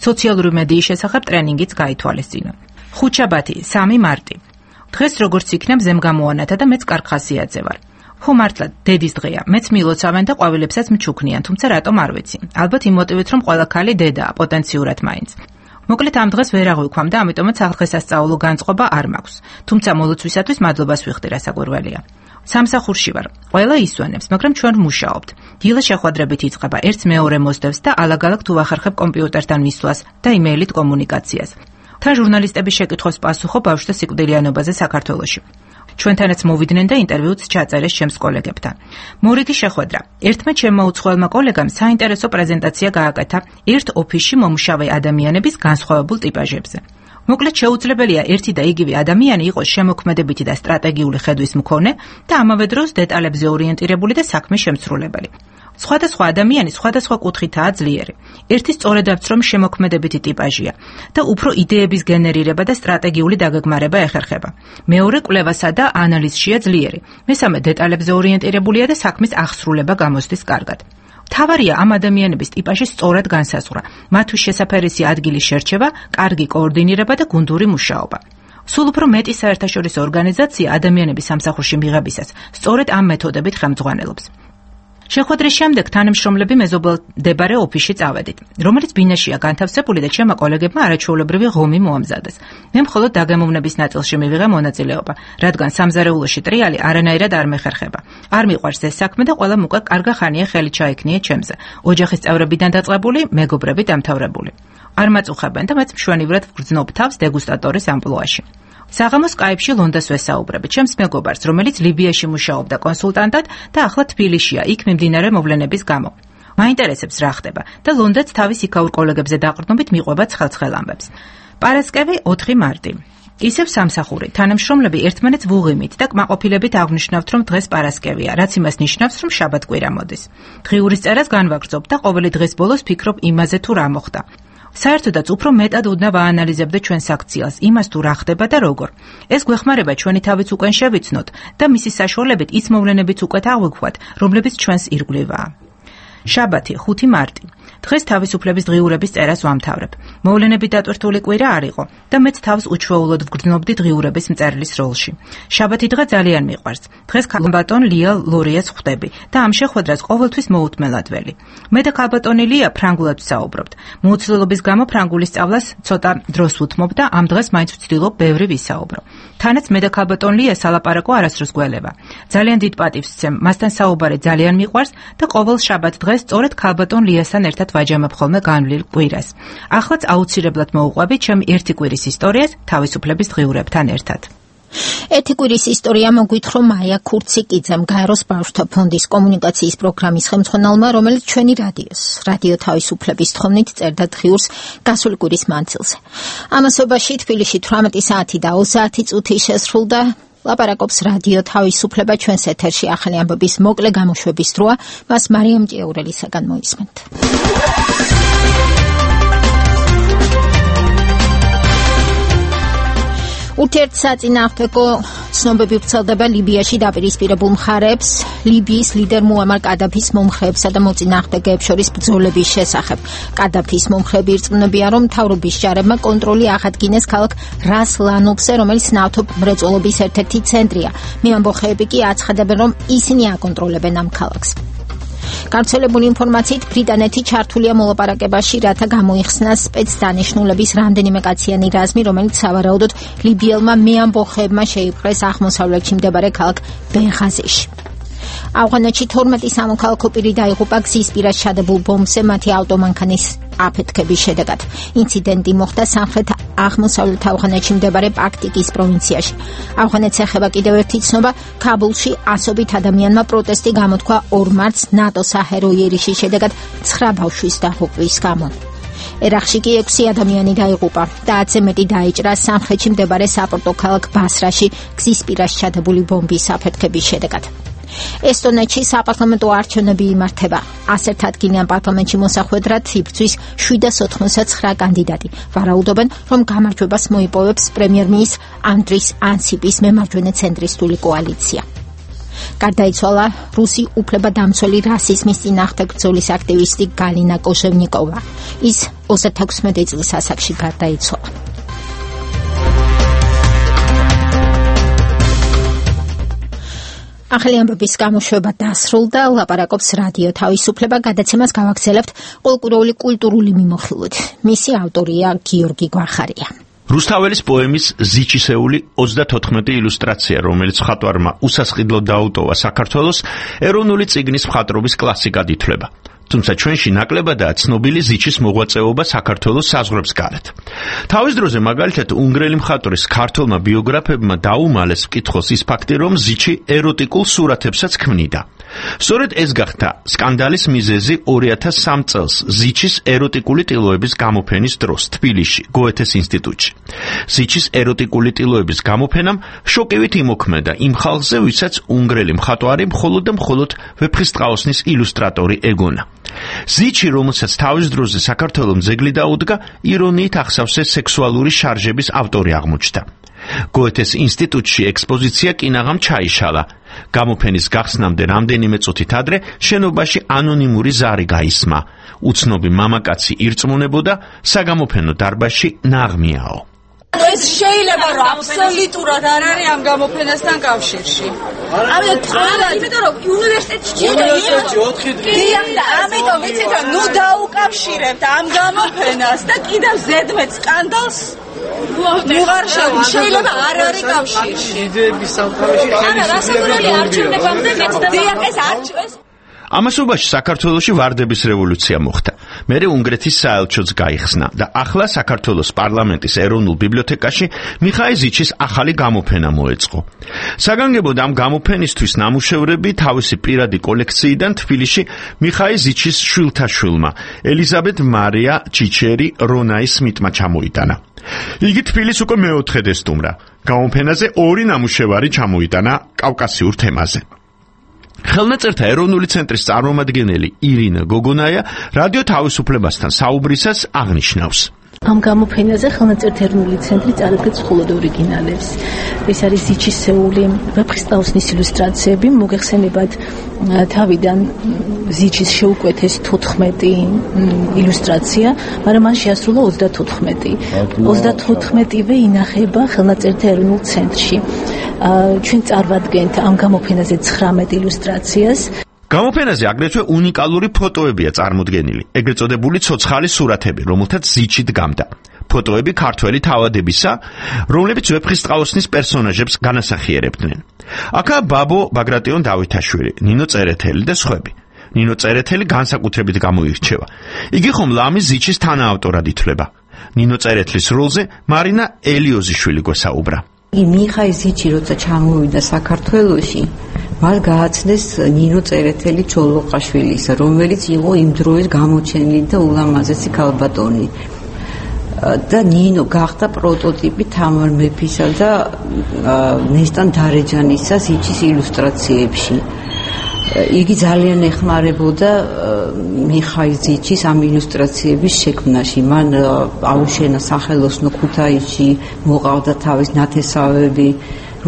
სოციალური მედიის შესახებ ტრენინგიც გაითვალისწინო. ხუთშაბათი, სამი მარტი. დღეს როგორც იქნა მზემ გამოანათა და მეც კარგ ხასიათზე ვარ. ხო მართლა დედის დღეა, მეც მილოცავენ და ყვავილებსაც მჩუქნიან, თუმცა რატომ არ ვიცი. ალბათ იმ მოტივით, რომ ყველა ქალი დედაა, პოტენციურად მაინც. მოკლედ ამ დღეს ვერ აღვიქვამ და ამიტომაც დღესასწაულო განწყობა არ მაქვს. თუმცა მოლოცვისათვის მადლობას ვიხდი, რასაკვირველია. სამსახურში ვარ. ყველა ისვენებს, მაგრამ ჩვენ ვმუშაობთ. დილა შეხვედრებით იწყება, ერთს მეორე მოსდევს და ალაგ-ალაგ თუ ვახერხებ კომპიუტერთან მისვლას და იმეილით კომუნიკაციას. თან ჟურნალისტების შეკითხვებს პასუხობ ბავშვთა სიკვდილიანობაზე საქართველოში. ჩვენთანაც მოვიდნენ და ინტერვიუც ჩაწერეს ჩემს კოლეგებთან. მორიგი შეხვედრა. ერთმა ჩემმა უცხოელმა კოლეგამ საინტერესო პრეზენტაცია გააკეთა ერთ ოფისში მომუშავე ადამიანების განსხვავებულ ტიპაჟებზე. მოკლედ შეუძლებელია ერთი და იგივე ადამიანი იყოს შემოქმედებითი და სტრატეგიული ხედვის მქონე და ამავე დროს დეტალებზე ორიენტირებული და საქმის შემსრულებელი. სხვადასხვა ადამიანი სხვადასხვა კუთხითაა ძლიერი. ერთი სწორედაც რომ შემოქმედებითი ტიპაჟია და უფრო იდეების გენერირება და სტრატეგიული დაგეგმარება ეხერხება. მეორე კვლევასა და ანალიზშია ძლიერი. მესამე დეტალებზე ორიენტირებულია და საქმის აღსრულება გამოსდის კარგად. თავარია ამ ადამიანების ტიპაჟის სწორად განსაზღვრა, მათთვის შესაფერისი ადგილის შერჩევა, კარგი კოორდინირება და გუნდური მუშაობა. სულ უფრო მეტი საერთაშორისო ორგანიზაცია ადამიანების სამსახურში მიღებისას სწორედ ამ მეთოდებით ხელმძღვანელობს. შეხვედრის შემდეგ თანამშრომლები მეზობლდებარე ოფისში წავედით, რომელიც ბინაშია განთავსებული და ჩემმა კოლეგებმა არაჩვეულებრივი ღომი მოამზადეს. მე მხოლოდ დაგემოვნების ნაწილში მივიღე მონაწილეობა, რადგან სამზარეულოში ტრიალი არანაირად არ მეხერხება. არ მიყვარს ეს საქმე და ყველამ უკვე კარგა ხანია ხელი ჩაექნია ჩემზე. ოჯახის წევრებიდან დაწყებული, მეგობრები დამთავრებული. არ მაწუხებენ და მეც მშვენივრად ვგრძნობ თავს დეგუსტატორის ამპლუაში. საღამოს სკაიპში ლონდას ვესაუბრები, ჩემს მეგობარს, რომელიც ლიბიაში მუშაობდა კონსულტანტად და ახლა თბილისშია, იქ მიმდინარე მოვლენების გამო. მაინტერესებს რა ხდება და ლონდაც თავის იქაურ კოლეგებზე დაყრდნობით მიყვება ცხელცხელ ამბებს. პარასკევი ოთხი მარტი. ისევ სამსახური, თანამშრომლები ერთმანეთს ვუღიმით და კმაყოფილებით აღნიშნავთ, რომ დღეს პარასკევია, რაც იმას ნიშნავს, რომ შაბათ-კვირა მოდის. დღიურის წერას განვაგრძობ და ყოველი დღის ბოლოს ფიქრობ იმაზე, თუ რა მოხდა. საერთოდაც უფრო მეტად უდნა ვაანალიზებდე ჩვენს აქციას, იმას თუ რა ხდება და როგორ. ეს გვეხმარება ჩვენი თავიც უკან შევიცნოთ და მისი საშუალებით ის მოვლენებიც უკეთ აღვიქვათ, რომლებიც ჩვენს ირგვლივაა. შაბათი, ხუთი მარტი. დღეს თავისუფლების დღიურების წერას ვამთავრებ. მოვლენები დატვირთული კვირა არ იყო და მეც თავს უჩვეულოდ ვგრძნობდი დღიურების მწერლის როლში. შაბათი დღე ძალიან მიყვარს. დღეს ქალბატონ ლია ლორიას ხვდები და ამ შეხვედრას ყოველთვის მოუთმელად ველი. მე და ქალბატონი ლია ფრანგულად ვსაუბრობთ. მოუცლელობის გამო ფრანგულის სწავლას ცოტა დროს ვუთმობ და ამ დღეს მაინც ვცდილობ ბევრი ვისაუბრო. თანაც მე და ქალბატონ ლია სალაპარაკო არასდროს გველება. ძალიან დიდ პატივს ვცემ, მასთან საუბარი ძალიან მიყვარს და ყოველ შაბათ დღეს სწორედ ქალბატონლიასთან ერთად ვაჯამებ ხოლმე განვლილ კვირას. ახლაც აუცილებლად მოუყვები ჩემი ერთი კვირის ისტორიას თავისუფლების დღიურებთან ერთად. ერთი კვირის ისტორია მოგვითხრა მაია ქურციკიძემ, გაეროს ბავშვთა ფონდის კომუნიკაციის პროგრამის ხელმძღვანელმა, რომელიც ჩვენი რადიოს, რადიო თავისუფლების თხოვნით წერდა დღიურს გასული კვირის მანძილზე. ამასობაში თბილისში თვრამეტი საათი და ოცდაათი წუთი შესრულდა. ლაპარაკობს რადიო თავისუფლება, ჩვენს ეთერში ახალი ამბების მოკლე გამოშვების დროა, მას მარიამ ჭიაურელისაგან მოისმენთ. ურთიერთსაწინააღმდეგო ცნობები ვრცელდება ლიბიაში დაპირისპირებულ მხარეებს, ლიბიის ლიდერ მუამარ კადაფის მომხრეებსა და მოწინააღმდეგეებს შორის ბრძოლების შესახებ. კადაფის მომხრეები ირწმუნებიან, რომ მთავრობის ჯარებმა კონტროლი აღადგინეს ქალაქ რას ლანოფზე, რომელიც ნავთობ მრეწველობის ერთ-ერთი ცენტრია. მეამბოხეები კი აცხადებენ, რომ ისინი აკონტროლებენ ამ ქალაქს. გავრცელებული ინფორმაციით ბრიტანეთი ჩართულია მოლაპარაკებაში, რათა გამოიხსნას სპეცდანიშნულების რამდენიმე კაციანი რაზმი, რომელიც სავარაუდოდ ლიბიელმა მეამბოხეებმა შეიპყრეს აღმოსავლეთში მდებარე ქალაქ ბენღაზიში. ავღანეთში თორმეტი სამოქალაქო პირი დაიღუპა გზის პირას ჩადებულ ბომბზე მათი ავტომანქანის აფეთქების შედეგად. ინციდენტი მოხდა სამხრეთ აღმოსავლეთ ავღანეთში მდებარე პაქტიკის პროვინციაში. ავღანეთს ეხება კიდევ ერთი ცნობა, ქაბულში ასობით ადამიანმა პროტესტი გამოთქვა ორ მარტს ნატო საჰერო იერიშის შედეგად ცხრა ბავშვის დაღუპვის გამო. ერაყში კი ექვსი ადამიანი დაიღუპა და ათზე მეტი დაიჭრა სამხრეთში მდებარე საპორტო ქალაქ ბასრაში გზის პირას ჩადებული ბომბის აფეთქების შედეგად. ესტონეთში საპარლამენტო არჩევნები იმართება. ასერთ ადგილიან პარლამენტში მოსახვედრად იბრძვის შვიდას ოთხმოცდაცხრა კანდიდატი. ვარაუდობენ, რომ გამარჯვებას მოიპოვებს პრემიერ-მინისტრ ანდრის ანსიპის მემარჯვენე ცენტრისტული კოალიცია. გარდაიცვალა რუსი უფლებადამცველი რასიზმის წინააღმდეგ ბრძოლის აქტივისტი გალინა კოჟევნიკოვა. ის ოცდათექვსმეტი წლის ასაკში გარდაიცვალა. ახალი ამბების გამოშვება დასრულდა, ლაპარაკობს რადიო თავისუფლება, გადაცემას გავაგრძელებთ ყოველკვირეული კულტურული მიმოხილვით. მისი ავტორია გიორგი გვახარია. რუსთაველის პოემის ზიჩისეული ოცდათოთხმეტი ილუსტრაცია, რომელიც მხატვარმა უსასყიდლოდ დაუტოვა საქართველოს, ეროვნული წიგნის მხატვრობის კლასიკად ითვლება. თუმცა ჩვენში ნაკლებადაა ცნობილი ზიჩის მოღვაწეობა საქართველოს საზღვრებს გარეთ. თავის დროზე მაგალითად უნგრელი მხატვრის ქართველმა ბიოგრაფებმა დაუმალეს მკითხოს ის ფაქტი, რომ ზიჩი ეროტიკულ სურათებსაც ქმნიდა. სწორედ ეს გახდა სკანდალის მიზეზი ორი ათას სამი წელს ზიჩის ეროტიკული ტილოების გამოფენის დროს თბილისში, გოეთეს ინსტიტუტში. ზიჩის ეროტიკული ტილოების გამოფენამ შოკივით იმოქმედა იმ ხალხზე, ვისაც უნგრელი მხატვარი მხოლოდ და მხოლოდ ვეფხისტყაოსნის ილუსტრატორი ეგონა. ზიჩი, რომელსაც თავის დროზე საქართველოს ძეგლი დაუდგა, ირონიით ახსავსე სექსუალური შარჟების ავტორი აღმოჩნდა. გოეთეს ინსტიტუტში ექსპოზიცია კინაღამ ჩაიშალა. გამოფენის გახსნამდე რამდენიმე წუთით ადრე შენობაში ანონიმური ზარი გაისმა. უცნობი მამაკაცი ირწმუნებოდა, საგამოფენო დარბაზში ნაღმიაო. ეს შეიძლება რომ აბსოლუტურად არ არის ამ გამოფენასთან კავშირში. ამიტომ ყველა, იმიტომ რომ უნივერსიტეტში და ამიტომ ვიცით რომ ნუ დაუკავშირებთ ამ გამოფენას და კიდევ ზედმეტ სკანდალს ვიღარ შეიძლება არ არის კავშირში. იდეების სამყაროში ხელისუფლების არჩევნებამდე მეც და დიაკეს არჩევს. ამასობაში საქართველოში ვარდების რევოლუცია მოხდა. მერე უნგრეთის საელჩოც გაიხსნა და ახლა საქართველოს პარლამენტის ეროვნულ ბიბლიოთეკაში მიხაილ ზიჩის ახალი გამოფენა მოეწყო. საგანგებოდ ამ გამოფენისთვის ნამუშევრები თავისი პირადი კოლექციიდან თბილისში მიხაილ ზიჩის შვილთაშვილმა ელიზაბეთ მარია ჩიჩერი რონაის სმიტმა ჩამოიტანა. იგი თბილისს უკვე მეოთხედ ესტუმრა. გამოფენაზე ორი ნამუშევარი ჩამოიტანა კავკასიურ თემაზე. ხელნაწერთა ეროვნული ცენტრის წარმომადგენელი ირინა გოგონაია რადიო თავისუფლებასთან საუბრისას აღნიშნავს. ამ გამოფენაზე ხელნაწერთა ეროვნული ცენტრი წარადგენს მხოლოდ ორიგინალებს. ეს არის ზიჩისეული ვეფხისტყაოსნის ილუსტრაციები, მოგეხსენებათ თავიდან ზიჩის შეუკვეთეს თოთხმეტი ილუსტრაცია, მაგრამ მან შეასრულა ოცდათოთხმეტი. ოცდათოთხმეტივე ინახება ხელნაწერთა ეროვნულ ცენტრში. ჩვენ წარვადგენთ ამ გამოფენაზე ცხრამეტ ილუსტრაციას. გამოფენაზე აგრეთვე უნიკალური ფოტოებია წარმოდგენილი, ეგრეთ წოდებული ცოცხალი სურათები, რომელთაც ზიჩი დგამდა. ფოტოები ქართველი თავადებისა, რომლებიც ვეფხისტყაოსნის პერსონაჟებს განასახიერებდნენ. აქაა ბაბო ბაგრატიონ დავითაშვილი, ნინო წერეთელი და სხვები. ნინო წერეთელი განსაკუთრებით გამოირჩევა. იგი ხომ ლამის ზიჩის თანაავტორად ითვლება. ნინო წერეთლის როლზე მარინა ელიოზიშვილი გვესაუბრა. მიხაილ ზიჩი როცა ჩამოვიდა საქართველოში, მას გააცნეს ნინო წერეთელი ჩოლოყაშვილის, რომელიც იყო იმ დროის გამოჩენილი და ულამაზესი ქალბატონი. და ნინო გახდა პროტოტიპი თამარ მეფისა და ნესტან დარეჯანისა ზიჩის ილუსტრაციებში. იგი ძალიან ეხმარებოდა მიხაილ ზიჩის ამ ილუსტრაციების შექმნაში. მან აუშენა სახელოსნო ქუთაისში, მოყავდა თავის ნათესავები,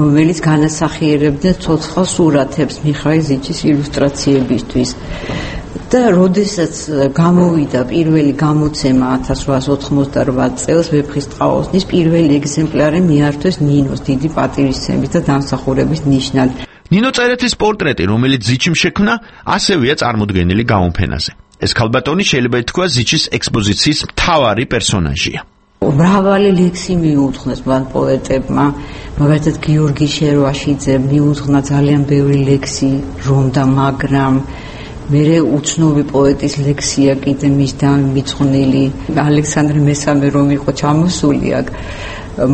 რომელიც განასახიერებდნენ ცოცხალ სურათებს მიხაილ ზიჩის ილუსტრაციებისთვის. და როდესაც გამოვიდა პირველი გამოცემა ათას რვაას ოთხმოცდაოთხ წელს ვეფხისტყაოსნის პირველი ეგზემპლარი მიართვეს ნინოს დიდი პატივისცემის და დამსახურების ნიშნად. ნინო წერეთლის პორტრეტი, რომელიც ზიჩიმ შექმნა, ასევეა წარმოდგენილი გამოფენაზე. ეს ქალბატონი შეიძლება ითქვა ზიჩის ექსპოზიციის მთავარი პერსონაჟია. მრავალი ლექსი მიუძღვნეს მან პოეტებმა, მაგალითად გიორგი შერვაშიძემ მიუძღვნა ძალიან ბევრი ლექსი, რომ და მაგრამ მერე უცნობი პოეტის ლექსია კიდე მის დამიწყვნილი ალექსანდრე მესამე რომ იყო ჩამოსული აქ,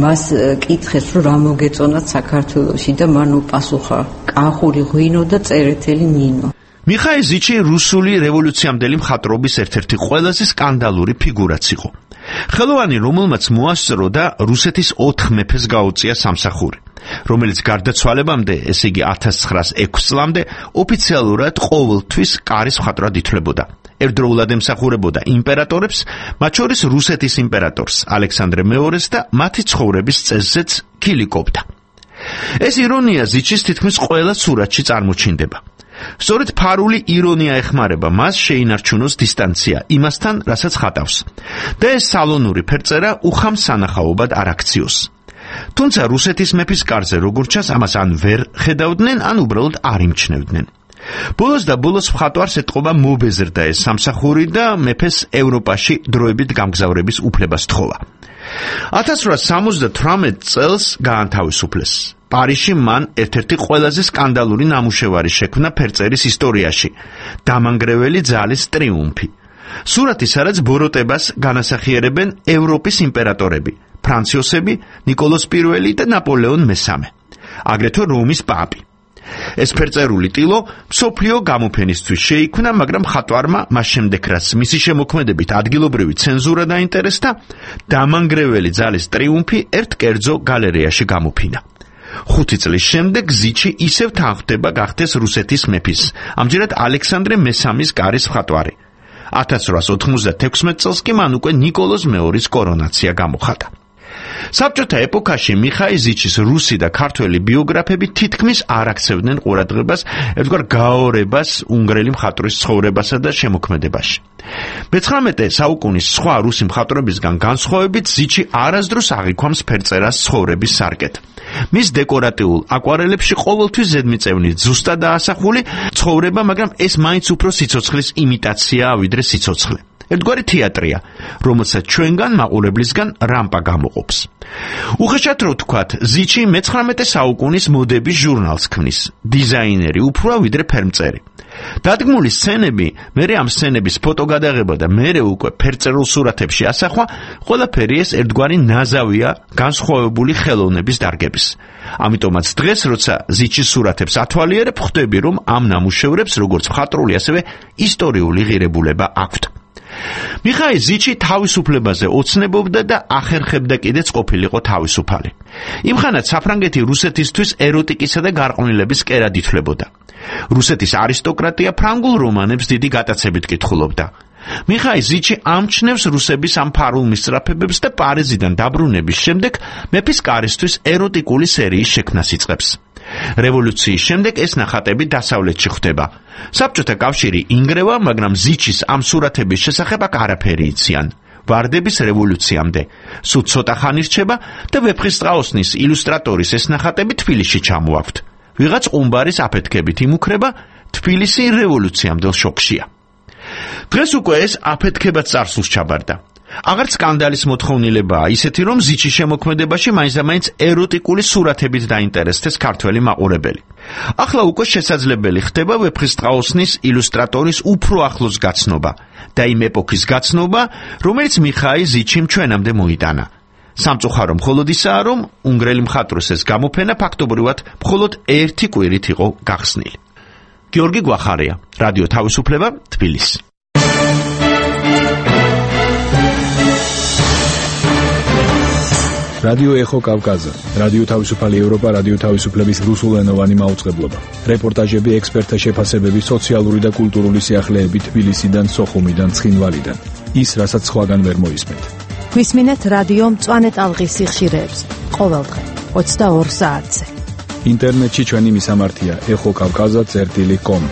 მას კითხეს რომ რა მოგეწონათ საქართველოში და მან უპასუხა კახური ღვინო და წერეთელი ნინო. მიხაილ ზიჩი რუსული რევოლუციამდელი მხატვრობის ერთ-ერთი ყველაზე სკანდალური ფიგურაც იყო. ხელოვანი, რომელმაც მოასწრო და რუსეთის ოთხ მეფეს გაუწია სამსახური, რომელიც გარდაცვალებამდე, ესე იგი ათას ცხრაას ექვსი წლამდე, ოფიციალურად ყოველთვის კარის მხატვრად ითვლებოდა. ერთდროულად ემსახურებოდა იმპერატორებს, მათ შორის რუსეთის იმპერატორს ალექსანდრე მეორეს და მათი ცხოვრების წესზეც ქილიკობდა. ეს ირონია ზიჩის თითქმის ყველა სურათში წარმოჩინდება. სწორედ ფარული ირონია ეხმარება მას შეინარჩუნოს დისტანცია იმასთან, რასაც ხატავს. და ეს სალონური ფერწერა უხამ სანახაობად არ აქციოს. თუმცა რუსეთის მეფის კარზე როგორც ჩანს, ამას ან ვერ ხედავდნენ, ან უბრალოდ არ იმჩნევდნენ. ბოლოს და ბოლოს მხატვარს ეთყობა მობეზრდა ეს სამსახური და მეფეს ევროპაში დროებით გამგზავრების უფლებას თხოვა. ათას რვაას სამოცდათვრამეტ წელს გაანთავისუფლეს. პარიზში მან ერთ-ერთი ყველაზე სკანდალური ნამუშევარი შექმნა ფერწერის ისტორიაში, დამანგრეველი ძალის ტრიუმფი. სურათი, სადაც ბოროტებას განასახიერებენ ევროპის იმპერატორები, ფრანც იოსები, ნიკოლოზ პირველი და ნაპოლეონ მესამე, აგრეთვე რომის პაპი. ეს ფერწერული ტილო მსოფლიო გამოფენისთვის შეიქმნა, მაგრამ მხატვარმა მას შემდეგ, რაც მისი შემოქმედებით ადგილობრივი ცენზურა დაინტერესდა, დამანგრეველი ძალის ტრიუმფი ერთ კერძო გალერეაში გამოფინა. ხუთი წლის შემდეგ ზიჩი ისევ თანხდება გახდეს რუსეთის მეფის, ამჯერად ალექსანდრე მესამის კარის მხატვარი. ათას რვაას ოთხმოცდათექვსმეტ წელს კი მან უკვე ნიკოლოზ მეორის კორონაცია გამოხატა. საბჭოთა ეპოქაში მიხაილ ზიჩის რუსი და ქართველი ბიოგრაფები თითქმის არ აქცევდნენ ყურადღებას ერთგვარ გაორებას უნგრელი მხატვრის ცხოვრებასა და შემოქმედებაში. მეცხრამეტე საუკუნის სხვა რუსი მხატვრებისგან განსხვავებით ზიჩი არასდროს აღიქვამს ფერწერას ცხოვრების სარკეთ. მის დეკორატიულ აკვარელებში ყოველთვის ზედმიწევნით ზუსტად დაასახული ცხოვრება, მაგრამ ეს მაინც უფრო სიცოცხლის იმიტაციაა ვიდრე სიცოცხლე. ერთგვარი თეატრია, რომელსაც ჩვენგან მაყურებლისგან რამპა გამოყოფს. უხეშად რო ვთქვათ, ზიჩი მეცხრამეტე საუკუნის მოდების ჟურნალს ქმნის, დიზაინერი უფროა ვიდრე ფერმწერი. დადგმული სცენები, მერე ამ სცენების ფოტოგადაღება და მერე უკვე ფერწერულ სურათებში ასახვა, ყველაფერი ეს ერთგვარი ნაზავია განსხვავებული ხელოვნების დარგების. ამიტომაც დღეს, როცა ზიჩის სურათებს ათვალიერებ, ხვდები, რომ ამ ნამუშევრებს როგორც მხატვრული, ასევე ისტორიული ღირებულება აქვთ. მიხაილ ზიჩი თავისუფლებაზე ოცნებობდა და ახერხებდა კიდეც ყოფილიყო თავისუფალი. იმხანად საფრანგეთი რუსეთისთვის ეროტიკისა და გარყვნილების კერად ითვლებოდა. რუსეთის არისტოკრატია ფრანგულ რომანებს დიდი გატაცებით კითხულობდა. მიხაილ ზიჩი ამჩნევს რუსების ამ ფარულ მისწრაფებებს და პარიზიდან დაბრუნების შემდეგ მეფის კარისთვის ეროტიკული სერიის შექმნას იწყებს. რევოლუციის შემდეგ ეს ნახატები დასავლეთში ხვდება. საბჭოთა კავშირი ინგრევა, მაგრამ ზიჩის ამ სურათების შესახებ აქ არაფერი იციან. ვარდების რევოლუციამდე. სულ ცოტა ხანი რჩება და ვეფხისტყაოსნის ილუსტრატორის ეს ნახატები თბილისში ჩამოაქვთ. ვიღაც ყუმბარის აფეთქებით იმუქრება, თბილისი რევოლუციამდელ შოკშია. დღეს უკვე ეს აფეთქებაც წარსულს ჩაბარდა. აღარც სკანდალის მოთხოვნილებაა ისეთი, რომ ზიჩის შემოქმედებაში მაინც-მაინც ეროტიკული სურათებით დაინტერესდეს ქართველი მაყურებელი. ახლა უკვე შესაძლებელი ხდება ვეფხისტყაოსნის ილუსტრატორის უფრო ახლოს გაცნობა და იმ ეპოქის გაცნობა, რომელიც მიხაილ ზიჩიმ ჩვენამდე მოიტანა. სამწუხარო მხოლოდ ისაა, რომ უნგრელი მხატვრის ეს გამოფენა ფაქტობრივად მხოლოდ ერთი კვირით იყო გახსნილი. გიორგი გვახარია, რადიო თავისუფლება, თბილისი. რადიო ეხო კავკაზა, რადიო თავისუფალი ევროპა, რადიო თავისუფლების რუსულენოვანი მაუწყებლობა. რეპორტაჟები, ექსპერტთა შეფასებები, სოციალური და კულტურული სიახლეები თბილისიდან, სოხუმიდან, ცხინვალიდან. ის, რასაც სხვაგან ვერ მოისმენთ. გვისმინეთ რადიო მწვანე ტალღის სიხშირეებს ყოველდღე ოცდაორ საათზე. ინტერნეტში ჩვენი მისამართია ეხო კავკაზა წერტილი კომ.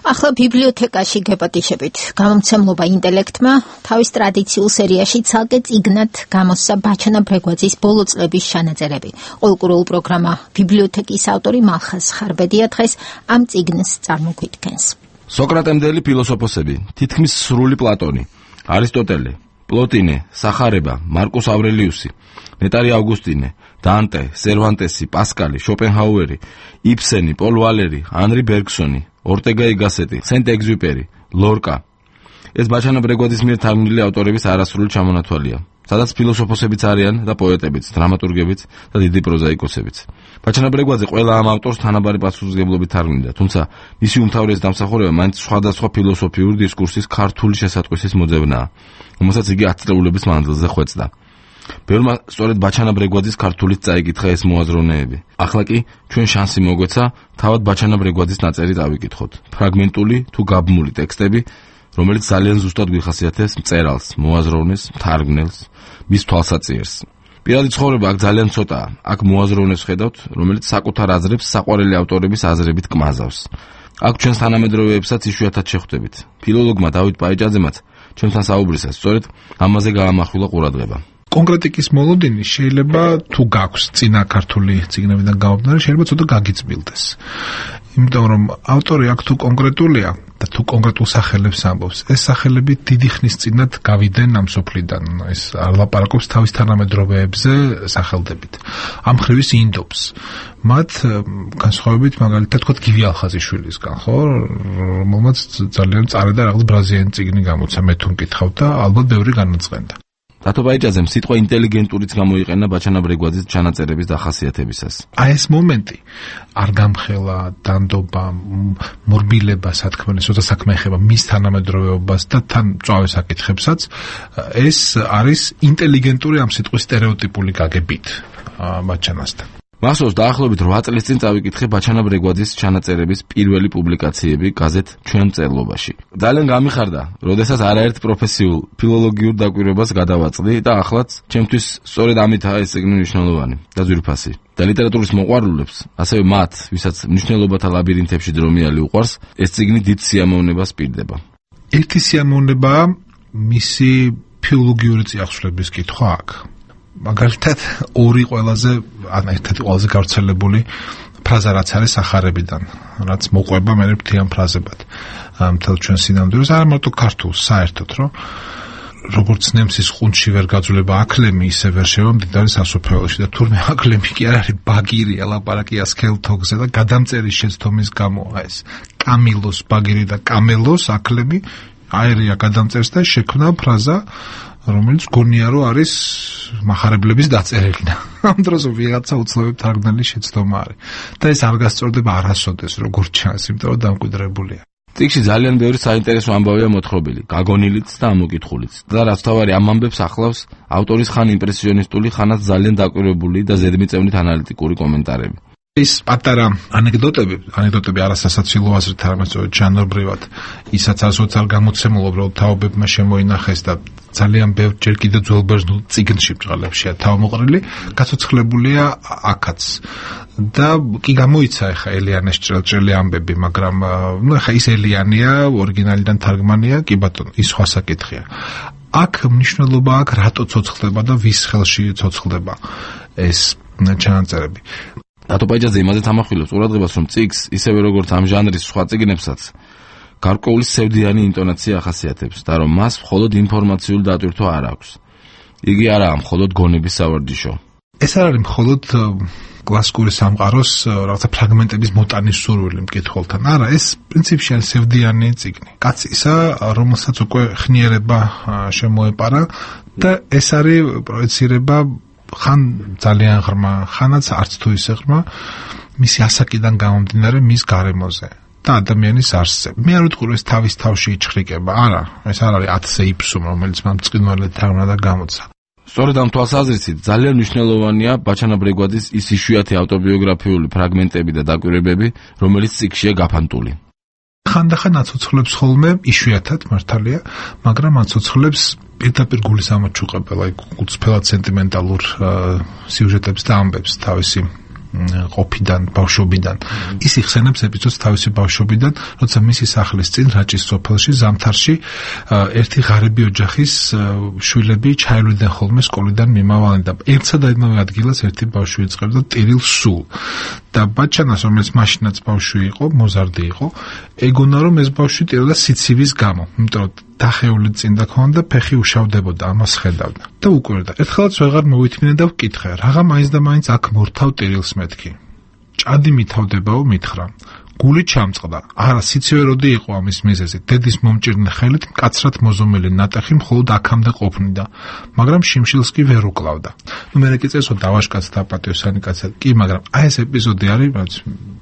ახლა ბიბლიოთეკაში გეპატიშებით. გამომცემლობა ინტელექტმა თავის ტრადიციულ სერიაში ცალკე წიგნად გამოსცა ბაჩანა ბრეგვაძის ბოლო წლების ჩანაწერები. ყოლკურულ პროგრამა ბიბლიოთეკის ავტორი მალხაზ ხარბედია დღეს ამ წიგნს წარმოგვიდგენს. სოკრატემდელი ფილოსოფოსები, თითქმის სრული პლატონი, არისტოტელე, პლოტინე, სახარება, მარკუს ავრელიუსი, ნეტარი ავგუსტინე, დანტე, სერვანტესი, პასკალი, შოპენჰაუერი, იბსენი, პოლ ვალერი, ანრი ბერგსონი, ორტეგა ი გასეტი, სენტ-ეგზიუპერი, ლორკა. ეს ბაჩანა ბრეგვაძის მიერ თარგმნილი ავტორების არასრული ჩამონათვალია, სადაც ფილოსოფოსებიც არიან და პოეტებიც, დრამატურგებიც და დიდი პროზაიკოსებიც. ბაჩანა ბრეგვაძე ყველა ამ ავტორს თანაბარი პასუხისმგებლობით თარგმნიდა, თუმცა მისი უმთავრესი დამსახურება მაინც სხვადასხვა ფილოსოფიური დისკურსის ქართული შესატყვისის მოძებნაა, რომელსაც იგი ათწლეულების მანძილზე ხვეწდა. ბევრმა სწორედ ბაჩანა ბრეგვაძის ქართულით წაიკითხა ეს მოაზროვნეები. ახლა კი ჩვენ შანსი მოგვეცა თავად ბაჩანა ბრეგვაძის ნაწერი დავიკითხოთ. ფრაგმენტული თუ გაბმული ტექსტები, რომელიც ძალიან ზუსტად გვიხასიათებს მწერალს, მოაზროვნეს, მთარგმნელს, მის თვალსაჩინოს. პირადი ცხოვრება აქ ძალიან ცოტაა. აქ მოაზროვნეს ხედავთ, რომელიც საკუთარ აზრებს საყვარელი ავტორების აზრებით კმაზავს. აქ ჩვენს თანამედროვეებსაც იშვიათად შეხვდებით. ფილოლოგმა დავით პაიჭაძემაც ჩვენთან საუბრისას სწორედ ამაზე გაამახვილა ყურადღება. კონკრეტიკის მოლოდინი შეიძლება თუ გაქვს წინა ქართული წიგნებიდან გამომდინარე, შეიძლება ცოტა გაგიწბილდეს. იმიტომ რომ ავტორი აქ თუ კონკრეტულია და თუ კონკრეტულ სახელებს ამბობს, ეს სახელები დიდი ხნის წინათ გავიდნენ ამ სოფლიდან. ეს არ ლაპარაკობს თავის თანამედროვეებზე სახელდებით. ამ ხრივის ინდობს. მათ განსხვავებით მაგალითად თქვა გივი ალხაზიშვილისგან, ხო, რომელმაც ძალიან წარე და რაღაც ბრაზილიანი წიგნი გამოცა, მე თუ მკითხავ და ალბათ ბევრი განაწყენდა. რატო ბაიჭაძემ სიტყვა ინტელიგენტურიც გამოიყენა ბაჩანა ბრეგვაძის ჩანაწერების დახასიათებისას. აი ეს მომენტი არ გამხელა დანდობა, მორბილება, სათქმელი, ცოტა საქმე ეხება მის თანამედროვეობას და თან მწვავე საკითხებსაც, ეს არის ინტელიგენტური ამ სიტყვის სტერეოტიპული გაგებით ბაჩანასთან. მახსოვს დაახლოებით რვა წლის წინ წავიკითხე ბაჩანა ბრეგვაძის ჩანაწერების პირველი პუბლიკაციები გაზეთ ჩვენ მწერლობაში. ძალიან გამიხარდა, როდესაც არაერთ პროფესიულ ფილოლოგიურ დაკვირვებას გადავაწყდი და ახლაც ჩემთვის სწორედ ამითაა ეს წიგნი მნიშვნელოვანი და ძვირფასი. და ლიტერატურის მოყვარულებს, ასევე მათ, ვისაც მნიშვნელობათა ლაბირინთებში დრომიალი უყვარს, ეს წიგნი დიდ სიამოვნებას პირდება. ერთი სიამოვნებაა მისი ფილოლოგიური წიაღსვლების კითხვა აქ. მაგალითად ორი ყველაზე ან ერთ-ერთი ყველაზე გავრცელებული ფრაზა რაც არის სახარებიდან, რაც მოყვება მე მთლიან ფრაზებად. მთელ ჩვენ სინამდვილეს არა მარტო ქართულს, საერთოდ რომ როგორც ნემსის ყუნჩი ვერ გაძლება აკლემი, ისე ვერ შევა მდიდარი სასოფლოში და თურმე აკლემი კი არ არის ბაგირია, ლაპარაკია სქელთოგზე და გადამწერის შეცდომის გამო ეს კამილოს ბაგირი და კამელოს აკლემი აერია გადამწერს და შექმნა ფრაზა, რომელიც გონია რომ არის მახარებლების დაწერილი და ამ დროს ვიღაცა უცნობი თარგმნელი შეცდომა არის და ეს არ გასწორდება არასოდეს როგორც ჩანს, იმიტომ რომ დამკვიდრებულია. წიგნში ძალიან ბევრი საინტერესო ამბავია მოთხრობილი, გაგონილიც და ამოკითხულიც. და რაც თავარი ამ ამბებს ახლავს ავტორის ხან იმპრესიონისტული, ხანაც ძალიან დაკვირვებული და ზედმიწევნით ანალიტიკური კომენტარები. ის პატარა ანეკდოტები, ანეკდოტები არასასაცილო აზრით, არამედ ჟანრობრივად, ისაც ასოც არ გამოცემულა, უბრალოდ თაობებმა შემოინახეს და ძალიან ბევრ ჯერ კიდევ ძველბერძნულ წიგნში ბრძოლებშია თავმოყრილი, გაცოცხლებულია აქაც. და კი გამოიცა ეხა ელიანეს ჭრელჭრელი ამბები, მაგრამ ნუ ეხა ის ელიანია, ორიგინალიდან თარგმანია, კი ბატონო, ის სხვა საკითხია. აქ მნიშვნელობა აქვს რატო ცოცხლდება და ვის ხელში ცოცხლდება ეს ჩანაწერები. დათო პაიჯაძე იმაზე თამახვილებს ყურადღებას, რომ წიგნს, ისევე როგორც ამ ჟანრის სხვა წიგნებსაც, გარკვეული სევდიანი ინტონაცია ახასიათებს და რომ მას მხოლოდ ინფორმაციული დატვირთვა არ აქვს. იგი არაა მხოლოდ გონების სავარჯიშო. ეს არ არის მხოლოდ კლასიკური სამყაროს რაღაცა ფრაგმენტების მოტანის სურვილი მკითხველთან. არა, ეს პრინციპში არის სევდიანი წიგნი. კაცისა, რომელსაც უკვე ხნიერება შემოეპარა და ეს არის პროეცირება ხან ძალიან ღრმა, ხანაც არც თუ ისე ღრმა, მისი ასაკიდან გამომდინარე მის გარემოზე და ადამიანის არსზე. მე არ ვიტყვი, ეს თავის თავში იჩხრიკება. არა, ეს არ არის ათზე იფსუმ, რომელიც მან წყინვალედ თარგმნა და გამოცა. სწორედ ამ თვალსაზრისით ძალიან მნიშვნელოვანია ბაჩანა ბრეგვაძის ის იშვიათი ავტობიოგრაფიული ფრაგმენტები და დაკვირვებები, რომელიც წიგნშია გაფანტული. ხანდახან აცოცხლებს ხოლმე იშვიათად მართალია, მაგრამ აცოცხლებს პირდაპირ გულის ამოჩუყებელ, აი უცფელად სენტიმენტალურ სიუჟეტებს და ამბებს თავისი ყოფიდან, ბავშვობიდან. ის იხსენებს ეპიზოდს თავისი ბავშვობიდან, როცა მისი სახლის წინ რაჭის სოფელში, ზამთარში ერთი ღარიბი ოჯახის შვილები ჩაილვიდნენ ხოლმე სკოლიდან მიმავალი და ერთსა და იმავე ადგილას ერთი ბავშვი იწყებდა ტირილ სულ. და ბაჩანას, რომელიც მაშინაც ბავშვი იყო, მოზარდი იყო, ეგონა რომ ეს ბავშვი ტიროდა სიცივის გამო, იმიტომ რომ დახეული წინდა ქონდა, ფეხი უშავდებოდა, ამას ხედავდა. და უკვირდა. ერთხელაც ვეღარ მოვითმინე და ვკითხე, რაღა მაინც და მაინც აქ მორთავ ტირილს მეთქი. ჭადი მითავდებაო, მითხრა. გული ჩამწყდა. არა, სიცივე როდი იყო ამის მიზეზი. დედის მომჭირნე ხელით მკაცრად მოზომილი ნატეხი მხოლოდ აქამდე ყოფნიდა, მაგრამ შიმშილს კი ვერ უკლავდა. ნუ მე კი წესო დავაშკაც და პატიოსანი კაცად. კი, მაგრამ აი ეს ეპიზოდი არის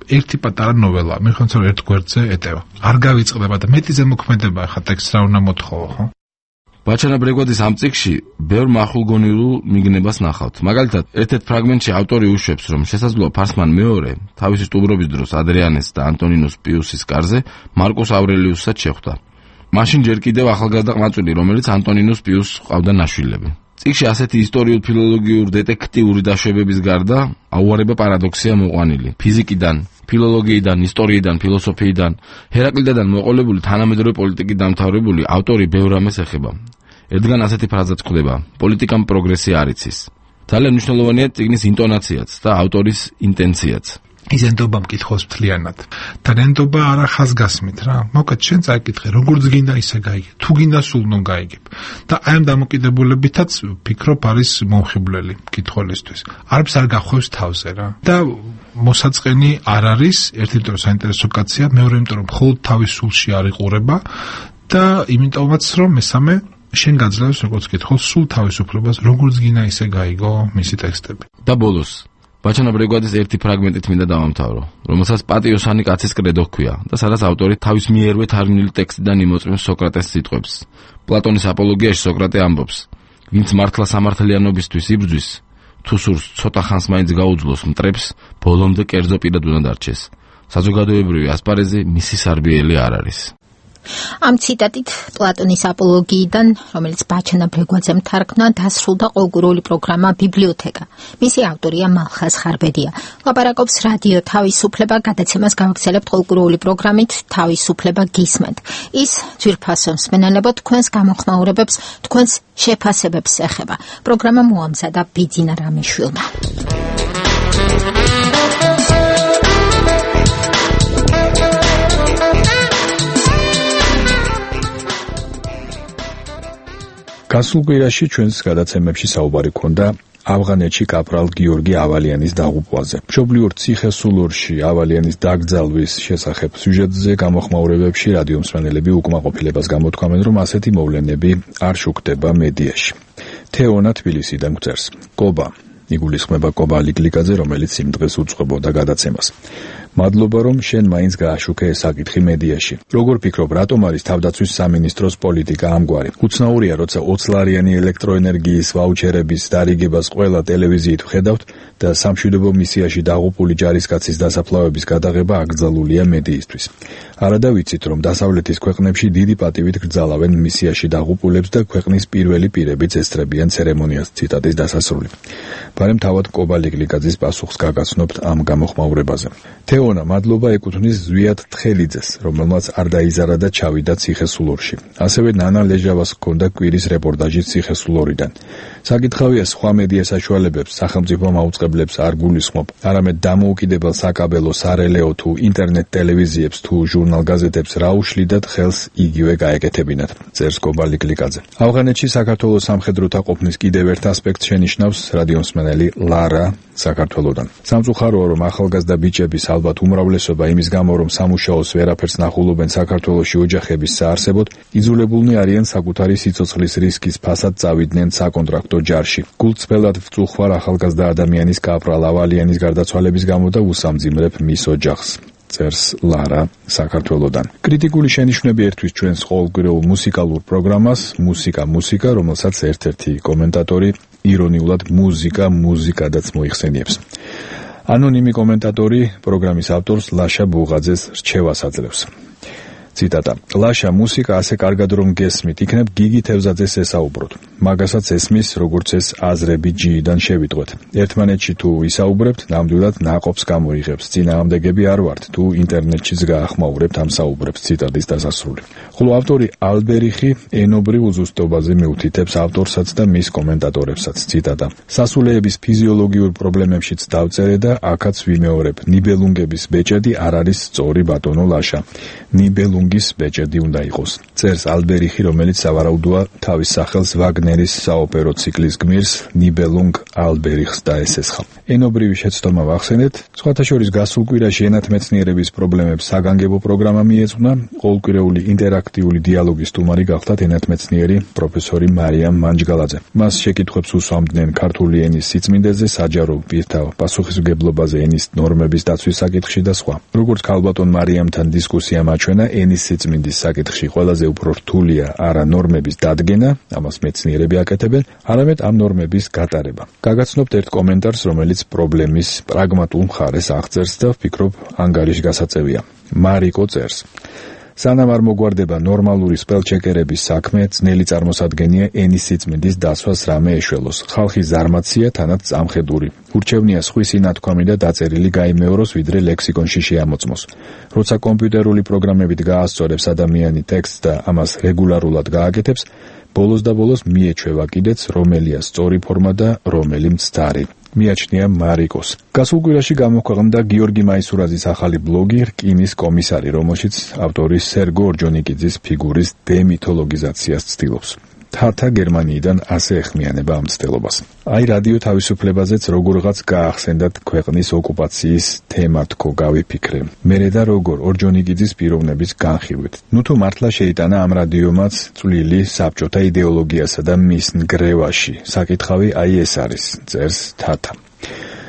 ერთი პატარა ნოველა. მე ხონც რომ ერთ გვერდზე ეტევა. არ გავიწყდება და მეტიზე მოქმედება ახლა ტექსტს რა უნდა მოთხოვო, ხო? ბაჩანა ბრეგვაძის ამ წიგნში ბევრ მახულგონილულ მიგნებას ნახავთ. მაგალითად, ერთ-ერთ ფრაგმენტში ავტორი უშვებს, რომ შესაძლოა ფარსმან მეორე თავისი სტუმრობის დროს ადრიანეს და ანტონინოს პიუსის კარზე მარკუს ავრელიუსსაც შეხვდა. მაშინ ჯერ კიდევ ახალგაზრდა ყმაწვილი, რომელიც ანტონინოს პიუსს ჰყავდა ნაშვილები. წიგნში ასეთი ისტორიულ-ფილოლოგიურ დეტექტიური დაშვებების გარდა აუარება პარადოქსია მოყვანილი. ფიზიკიდან, ფილოლოგიიდან, ისტორიიდან, ფილოსოფიიდან, ჰერაკლიდიდან მოყოლებული თანამედროვე პოლიტიკის დამთავრებული ავტორი ბევრ ამას ეხება. ერთგან ასეთი ფრაზაც გვხვდება: პოლიტიკამ პროგრესი არ იცის. ძალიან მნიშვნელოვანია წიგნის ინტონაციაც და ავტორის ინტენციაც. ის ენდობა მკითხოს მთლიანად. და ენდობა არა ხაზგასმით რა. მოკეთ შენ წაიკითხე, როგორც გინდა ისე გაიგე. თუ გინდა სულ ნუ გაიგებ. და აი ამ დამოკიდებულებითაც ფიქრობ არის მომხიბვლელი მკითხველისთვის. არც არ გახვევს თავზე რა. და მოსაწყენი არ არის, ერთი იმიტომ საინტერესო კაცია, მეორე იმიტომ რომ მხოლოდ თავის სულში არ იყურება და იმიტომაც რომ მესამე შენ გაძლევს როგორც კითხოს სულ თავისუფლებას, როგორც გინდა ისე გაიგო მისი ტექსტები. და ბოლოს ბაჩანა ბრეგვაძის ერთი ფრაგმენტით მინდა დავამთავრო, რომელსაც პატიოსანი კაცის კრედო ჰქვია და სადაც ავტორი თავის მიერვე თარგმნილი ტექსტიდან იმოწმებს სოკრატეს სიტყვებს. პლატონის აპოლოგიაში სოკრატე ამბობს: ვინც მართლა სამართლიანობისთვის იბრძვის, თუ სურს ცოტა ხანს მაინც გაუძლოს მტრებს, ბოლომდე კერძო პირად უნდა დარჩეს. საზოგადოებრივი ასპარეზი მისი სარბიელი არ არის. ამ ციტატით პლატონის აპოლოგიიდან, რომელიც ბაჩანა ბრეგვაძემ თარგმნა, დასრულდა ყოველგვარული პროგრამა ბიბლიოთეკა. მისი ავტორია მალხაზ ხარბედია. ლაპარაკობს რადიო თავისუფლება, გადაცემას გავაგრძელებთ ყოველგვარული პროგრამით თავისუფლება გისმენთ. ის ძვირფასო მსმენელებო თქვენს გამოხმაურებებს, თქვენს შეფასებებს ეხება. პროგრამა მოამზადა ბიძინა რამიშვილმა. გასულ კვირაში ჩვენს გადაცემებში საუბარი ქონდა ავღანეთში კაპრალ გიორგი ავალიანის დაღუპვაზე. მშობლიურ ციხესულურში ავალიანის დაკრძალვის შესახებ სიუჟეტზე გამოხმაურებებში რადიო მსმენელები უკმაყოფილებას გამოთქვამენ, რომ ასეთი მოვლენები არ შუქდება მედიაში. თეონა თბილისიდან გვწერს: კობა იგულისხმება კობა ლიკლიკაძე, რომელიც იმ დღეს უძღვებოდა გადაცემას. მადლობა რომ შენ მაინც გააშუქე ეს საკითხი მედიაში. როგორ ფიქრობ, რატომ არის თავდაცვის სამინისტროს პოლიტიკა ამგვარი? უცნაურია, როცა ოცლარიანი ელექტროენერგიის ვაუჩერების დარიგებას ყველა ტელევიზიით ვხედავთ და სამშვიდობო მისიაში დაღუპული ჯარისკაცის დასაფლავების გადაღება აკრძალულია მედიისთვის. არადა ვიცით, რომ დასავლეთის ქვეყნებში დიდი პატივით გრძალავენ მისიაში დაღუპულებს და ქვეყნის პირველი პირებიც ესწრებიან ცერემონიას. ციტატის დასასრული. ბარემ თავად კობალე გლიკაძის პასუხს გაგაცნობთ ამ გამოხმაურებაზე. თეონა, მადლობა ეკუთვნის ზვიად თხელიძეს, რომელმაც არ დაიზარა და ჩავიდა ციხესულორში. ასევე ნანა ლეჟავას ჰქონდა კვირის რეპორტაჟი ციხესულორიდან. საკითხავია, სხვა მედია საშუალებებს სახელმწიფო მაუწყებლებს არ გულისხმობ, არამედ დამოუკიდებელ საკაბელო, სარელეო თუ ინტერნეტ ტელევიზიებს თუ ჟურნალ-გაზეთებს რა უშლიდათ ხელს იგივე გაეკეთებინათ, წერს კობალე გლიკაძე. ავღანეთში საქართველოს სამხედროთა ყოფნის კიდევ ერთ ასპექტს შენიშნავს რადიომსმენელი ლარა საქართველოდან. სამწუხაროა, რომ ახალგაზრდა ბიჭების ალბათ უმრავლესობა იმის გამო, რომ სამუშაოს ვერაფერს ნახულობენ საქართველოში ოჯახების საარსებოდ, იძულებულნი არიან საკუთარი სიცოცხლის რისკის ფასად წავიდნენ საკონტრაქტო ჯარში. გულწრფელად ვწუხარ ახალგაზრდა ადამიანის კაპრალ ავალიანის გარდაცვალების გამო და უსამძიმრებ მის ოჯახს. წერს ლარა საქართველოდან. კრიტიკული შენიშვნები ერთვის ჩვენს ყოველკვირეულ მუსიკალურ პროგრამას მუსიკა მუსიკა, რომელსაც ერთ-ერთი კომენტატორი ირონიულად მუსიკა მუსიკადაც მოიხსენიებს. ანონიმი კომენტატორი პროგრამის ავტორს ლაშა ბუღაძეს რჩევას აძლევს. ციტატა: ლაშა, მუსიკა ასე კარგად რომ გესმით, იქნებ გიგი თევზაძეს ესაუბროთ. მაგასაც ესმის, როგორც ეს აზრები ჯიიდან შევიტყვეთ. ერთმანეთში თუ ისაუბრებთ, ნამდვილად ნაყოფს გამოიღებს. წინააღმდეგები არ ვართ, თუ ინტერნეტშიც გაახმაურებთ ამ საუბრებს. ციტატის დასასრული. ხოლო ავტორი ალბერიხი ენობრივ უზუსტობაზე მიუთითებს ავტორსაც და მის კომენტატორებსაც. ციტატა: სასულეების ფიზიოლოგიურ პრობლემებშიც დავწერე და აქაც ვიმეორებ. ნიბელუნგების ბეჭედი არ არის სწორი, ბატონო ლაშა. ნიბელუნგ გის ბეჭედი უნდა იყოს. წერს ალბერიხი, რომელიც სავარაუდოა თავის სახელს ვაგნერის საოპერო ციკლის გმირს ნიბელუნგ ალბერიხს დაესესხა. ენობრივი შეცდომა ვახსენეთ. სხვათა შორის გასულ კვირაში ენათმეცნიერების პრობლემებს საგანგებო პროგრამა მიეძღვნა. ყოველკვირეული ინტერაქტიული დიალოგის სტუმარი გახლდათ ენათმეცნიერი პროფესორი მარიამ მანჯგალაძე. მას შეკითხვებს უსვამდნენ ქართული ენის სიწმინდეზე, საჯარო პირთა პასუხისმგებლობაზე, ენის ნორმების დაცვის საკითხში და სხვა. როგორც ქალბატონ მარიამთან დისკუსია მაჩვენა, ენის სიწმინდის საკითხში ყველაზე უფრო რთულია არა ნორმების დადგენა, ამას მეცნიერები აკეთებენ, არამედ ამ ნორმების გატარება. გაგაცნობთ ერთ კომენტარს, რომელიც პრობლემის პრაგმატულ მხარეს აღწერს და ვფიქრობ ანგარიშგასაწევია. მარიკო წერს: სანამ არ მოგვარდება ნორმალური სპელჩეკერების საქმე, ძნელი წარმოსადგენია ენის სიწმინდის დაცვას რამე ეშველოს. ხალხი ზარმაცია, თანაც წამხედური. ურჩევნია სხვისი ნათქვამი და დაწერილი გაიმეოროს, ვიდრე ლექსიკონში შეამოწმოს. როცა კომპიუტერული პროგრამებით გაასწორებს ადამიანი ტექსტს და ამას რეგულარულად გააკეთებს, ბოლოს და ბოლოს მიეჩვევა კიდეც, რომელია სწორი ფორმა და რომელი მცდარი. მიაჩნია მარიკოს. გასულ კვირაში გამოქვეყნდა გიორგი მაისურაძის ახალი ბლოგი რკინის კომისარი, რომელშიც ავტორი სერგო ორჯონიკიძის ფიგურის დემითოლოგიზაციას ცდილობს. თათა გერმანიიდან ასე ეხმიანება ამ მცდელობას. აი რადიო თავისუფლებაზეც როგორღაც გაახსენდათ ქვეყნის ოკუპაციის თემა თქო გავიფიქრე. მერე და როგორ ორჯონიკიძის პიროვნების განხილვით. ნუ თუ მართლა შეიტანა ამ რადიომაც წვლილი საბჭოთა იდეოლოგიასა და მის ნგრევაში. საკითხავი აი ეს არის, წერს თათა.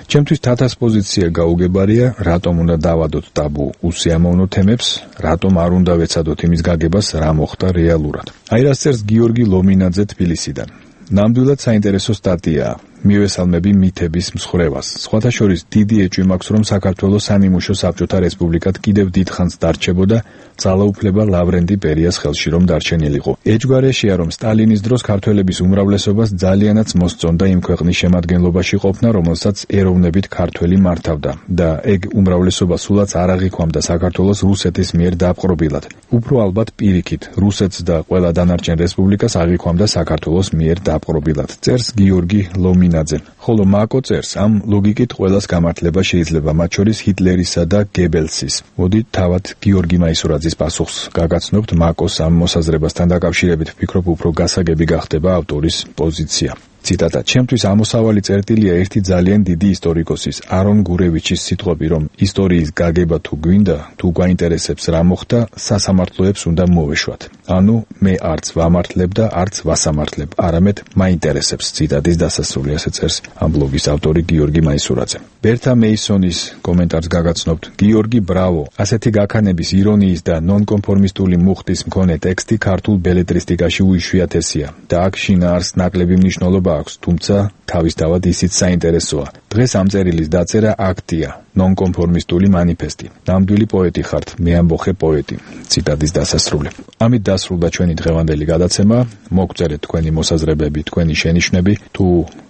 ჩემთვის თათას პოზიცია გაუგებარია, რატომ უნდა დავადოთ ტაბუ უსიამოვნო თემებს, რატომ არ უნდა ვეცადოთ იმის გაგებას, რა მოხდა რეალურად. აი რას წერს გიორგი ლომინაძე თბილისიდან. ნამდვილად საინტერესო სტატიაა. მივესალმები მითების მსხრევას. სხვათა შორის დიდი ეჭვი მაქვს, რომ საქართველოს სანიმუშო საბჭოთა რესპუბლიკად კიდევ დიდხანს დარჩებოდა, ძალაუფლება ლავრენტი ბერიას ხელში რომ დარჩენილიყო. ეჭვგარეშეა, რომ სტალინის დროს ქართველების უმრავლესობას ძალიანაც მოსწონდა იმ ქვეყნის შემადგენლობაში ყოფნა, რომელსაც ეროვნებით ქართველი მართავდა და ეგ უმრავლესობა სულაც არ აღიქვამდა საქართველოს რუსეთის მიერ დაპყრობილად. უფრო ალბათ პირიქით, რუსეთს და ყველა დანარჩენ რესპუბლიკას აღიქვამდა საქართველოს მიერ დაპყრობილად. წერს გიორგი ლომინაძე. ხოლო მაკო წერს, ამ ლოგიკით ყველას გამართლება შეიძლება, მათ შორის ჰიტლერისა და გებელსის. მოდით თავად გიორგი მაისურაძის პასუხს გაგაცნობთ მაკოს ამ მოსაზრებასთან დაკავშირებით, ვფიქრობ უფრო გასაგები გახდება ავტორის პოზიცია. ციტატა: ჩემთვის ამოსავალი წერტილია ერთი ძალიან დიდი ისტორიკოსის არონ გურევიჩის სიტყვები, რომ ისტორიის გაგება თუ გვინდა, თუ გვაინტერესებს რა მოხდა, სასამართლოებს უნდა მოვეშვათ. ანუ მე არც ვამართლებ და არც ვასამართლებ, არამედ მაინტერესებს. ციტატის დასასრული, ასე წერს ამ ბლოგის ავტორი გიორგი მაისურაძე. ბერთა მეისონის კომენტარს გაგაცნობთ. გიორგი, ბრავო! ასეთი გაქანების, ირონიის და ნონკონფორმისტული მუხტის მქონე ტექსტი ქართულ ბელეტრისტიკაში უიშვიათესია და აქ შინაარს ნაკლები მნიშვნელობა აქვს, თუმცა თავისთავად ისიც საინტერესოა. დღეს ამ წერილის დაწერა აქტია, ნონკონფორმისტული მანიფესტი. ნამდვილი პოეტი ხართ, მე ამბოხე პოეტი. ციტატის დასასრული. ამით დასრულდა ჩვენი დღევანდელი გადაცემა. მოგწერეთ თქვენი მოსაზრებები, თქვენი შენიშვნები, თუ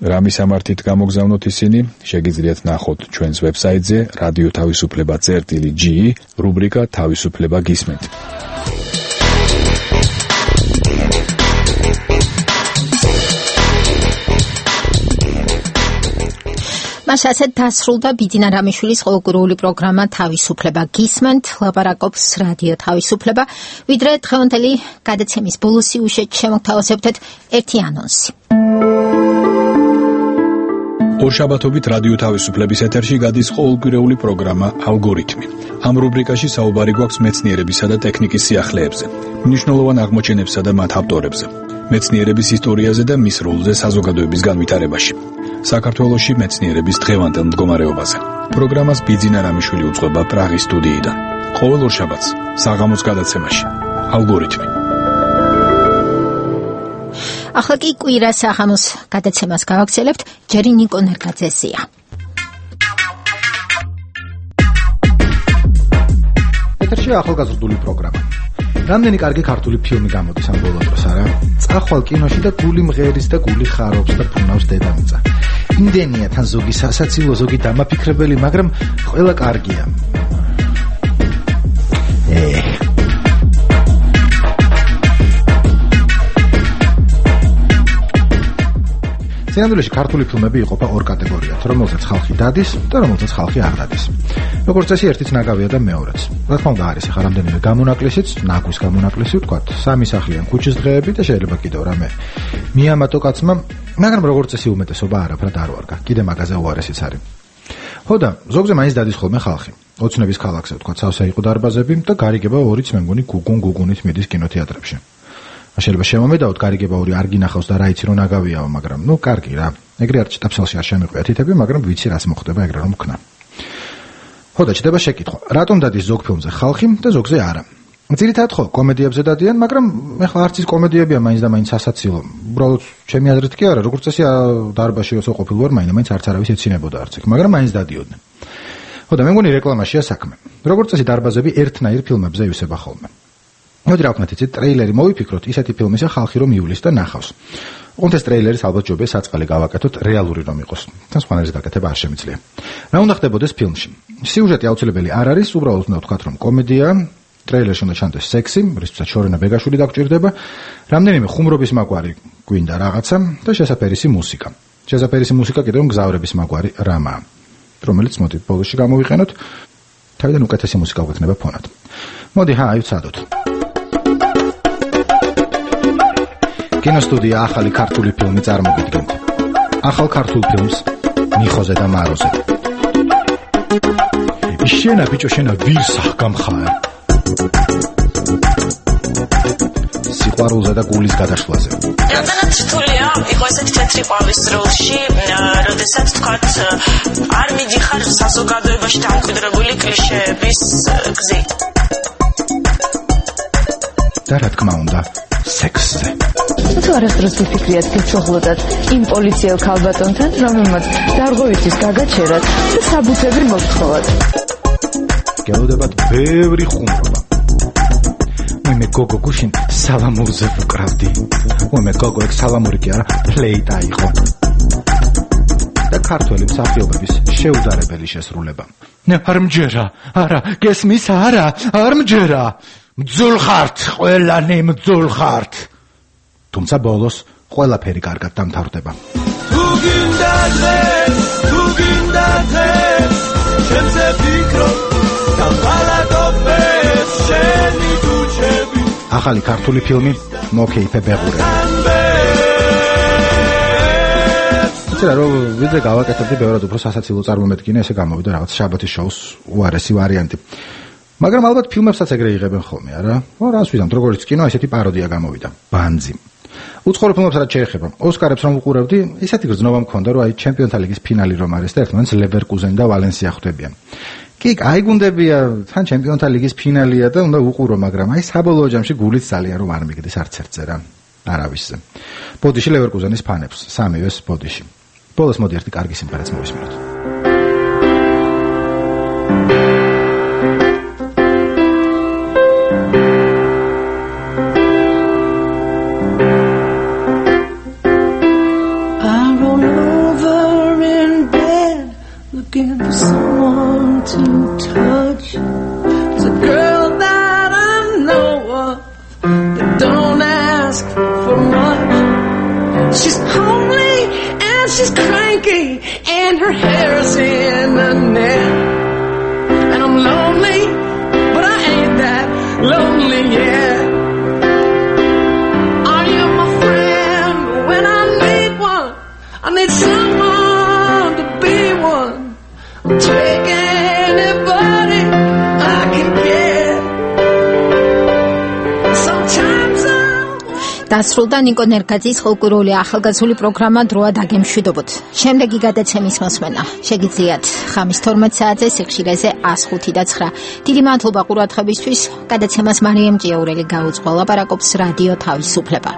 რა მისამართით გამოგზავნოთ ისინი, შეგიძლიათ ნახოთ ჩვენს ვებსაიტზე რადიო თავისუფლება წერტილი ჯი, რუბრიკა თავისუფლება გისმენთ. მას ასეთ დასრულდა ბიძინა რამიშვილის ყოველკვირეული პროგრამა თავისუფლება გისმენთ, ლაპარაკობს რადიო თავისუფლება. ვიდრე დღევანდელი გადაცემის ბოლო სიუჟეტში შემოგთავაზებთ ერთი ანონსი. ორშაბათობით რადიო თავისუფლების ეთერში გადის ყოველკვირეული პროგრამა ალგორითმი. ამ რუბრიკაში საუბარი გვაქვს მეცნიერებისა და ტექნიკის სიახლეებზე, მნიშვნელოვან აღმოჩენებსა და მათ ავტორებზე, მეცნიერების ისტორიაზე და მის როლზე საზოგადოების განვითარებაში. საქართველოში მეცნიერების დღევანდელ მდგომარეობაზე. პროგრამას ბიძინა რამიშვილი უძღვება პრაღის სტუდიიდან. ყოველ ორშაბათს საღამოს გადაცემაში ალგორითმი. ახლა კი კვირა საღამოს გადაცემას გავაგრძელებთ, ჯერი ნიკო ნერგაძესია. ეთერში ახალგაზრდული პროგრამა. რამდენი კარგი ქართული ფილმი გამოდის ამ ბოლო დროს, არა? წახვალ კინოში და გული მღერის და გული ხარობს და ფუნავს დედამიწა. იმდენია თან ზოგი სასაცილო, ზოგი დამაფიქრებელი, მაგრამ ყველა კარგია. ე სინამდვილეში ქართული ფილმები იყოფა ორ კატეგორიად, რომელსაც ხალხი დადის და რომელსაც ხალხი არ დადის. როგორც წესი, ერთიც ნაგავია და მეორეც. რა თქმა უნდა, არის ახლა რამდენიმე გამონაკლისიც, ნაგვის გამონაკლისი, ვთქვათ, სამი სახლიან ქუჩის დღეები და შეიძლება კიდევ რამე მიამატო კაცმა, მაგრამ როგორც წესი უმეტესობა არაფრად არ ვარგა. კიდე მაგაზე უარესიც არის. ხო და ზოგზე მაინც დადის ხოლმე ხალხი. ოცნების ქალაქზე, ვთქვათ, სავსე იყო დარბაზები და გარიგება ორიც მე მგონი გუგუნ გუგუნით მიდის კინოთეატრებში. შეიძლება შემომედავთ, გარიგება ორი არ გინახავს და რა იცი რომ ნაგავიაო, მაგრამ ნუ კარგი რა. ეგრე არ ჭიტაფსალში არ შემიყვია თითები, მაგრამ ვიცი რას მოხდება ეგრე რომ ვქნა. ხო და ჩდება შეკითხვა. რატომ დადის ზოგ ფილმზე ხალხი და ზოგზე არა? ძირითადად ხო, კომედიებზე დადიან, მაგრამ ეხლა არც ის კომედიებია მაინც და მაინც სასაცილო. უბრალოდ ჩემი აზრით კი არა, როგორც წესი დარბაზში όσο ყოფილი ვარ, მაინც მაინც არც არავის ეცინებოდა არც იქ, მაგრამ მაინც დადიოდნენ. ხო და მე მგონი რეკლამაშია საქმე. როგორც წესი დარბაზები ერთნაირ ფილმებზე ივსება ხოლმე. მოდი რა ვქნათ იცით, ტრეილერი მოვიფიქროთ, ისეთი ფილმისა ხალხი რომ იulis და ნახავს. ოღონდ ეს ტრეილერის ალბათ ჯობია საწყალი გავაკეთოთ, რეალური რომ იყოს. თან სხვანაირის გაკეთება არ შემიძლია. რა უნდა ხდებოდეს ფილმში? სიუჟეტი აუცილებელი არ არის, უბრალოდ უნდა ვთქვათ რომ კომედია, ტრეილერში უნდა ჩანდეს სექსი, რისთვისაც შორენა ბეგაშვილი დაგჭირდება, რამდენიმე ხუმრობის მაგვარი გვინდა რაღაცა და შესაფერისი მუსიკა. შესაფერისი მუსიკა კიდევ მგზავრების მაგვარი რამაა, რომელიც მოდით ბოლოში გამოვიყენოთ, თავიდან უკეთესი მუსიკა გვექნება ფონად. მოდი, ჰა, აივცადოთ. კინოსტუდია ახალი ქართული ფილმი წარმოგიდგენთ. ახალ ქართულ ფილმს მიხოზე და მაროზე. შენა ბიჭო, შენა ვირსა გამხარ. სიყვარულზე და გულის გადაშლაზე. რამდენად რთულია იყო ესეთი თეთრი ყვავის როლში, როდესაც თქვათ არ მიდიხარ საზოგადოებაში დამკვიდრებული კლიშეების გზით. და რა თქმა უნდა, სექსზე. თუ არასდროს ვიფიქრიათ ფიცოხლოდათ იმ პოლიციელ ქალბატონთან, რომელმაც დარღვევის გაგაჩერათ და საბუთები მოგთხოვათ. გელოდებათ ბევრი ხუმრობა. მე გოგო გუშინ სალამურზე ვკრავდი. მე გოგო ეგ სალამური კი არა, ფლეიტა იყო. და ქართველი მსახიობების შეუდარებელი შესრულება. ნე არ მჯერა, არა, გესმის არა, არ მჯერა. მძულ ხართ, ყველანი მძულ ხართ. თუმცა ბოლოს ყველაფერი კარგად დამთავრდება. თუ გინდა დღეს, თუ გინდა დღეს, შემზე ფიქრობ და ბალადობებს შენი თუჩები. ახალი ქართული ფილმი მოკეიფე ბეღურე. იცი რა რომ ვიდრე გავაკეთებდი ბევრად უფრო სასაცილო წარმომედგინა ესე გამოვიდა რაღაც შაბათის შოუს უარესი ვარიანტი. მაგრამ ალბათ ფილმებსაც ეგრე იღებენ ხოლმე, არა? ო რას ვიზამთ, როგორც კინო, ესეთი პაროდია გამოვიდა. ბანძი. უცხოურ ფილმებს რაც შეეხება, ოსკარებს რომ უყურებდი, ისეთი გრძნობა მქონდა, რომ აი ჩემპიონთა ლიგის ფინალი რომ არის და ერთმანეთს ლევერკუზენი და ვალენსია ხვდებიან. კი, აი გუნდებია, თან ჩემპიონთა ლიგის ფინალია და უნდა უყურო, მაგრამ აი საბოლოო ჯამში გულით ძალიან რომ არ მიგდის არც ერთზე რა. არავისზე. ბოდიში ლევერკუზენის ფანებს, სამივეს ბოდიში. ბოლოს მოდი ერთი კარგი სიმღერაც მოვისმინოთ. Looking for someone to touch. It's a girl that I know of that don't ask for much. She's homely and she's cranky and her hair's in a net. And I'm lonely, but I ain't that lonely yet. Are you my friend when I need one? I need someone to be one. Take anybody I can get. Sometimes დასრულდა ნიკო ნერგაძის ხალხური ახალგაზრდული პროგრამა დროა დაგემშვიდობოთ. შემდეგი გადაცემის მოსმენა შეგიძლიათ ხამის თორმეტ საათზე სიხშირეზე one oh five და nine. დიდი მადლობა ყურადღებისთვის. გადაცემას მარიამ ჭიაურელი გაუძღვა, ლაპარაკობს რადიო თავისუფლება.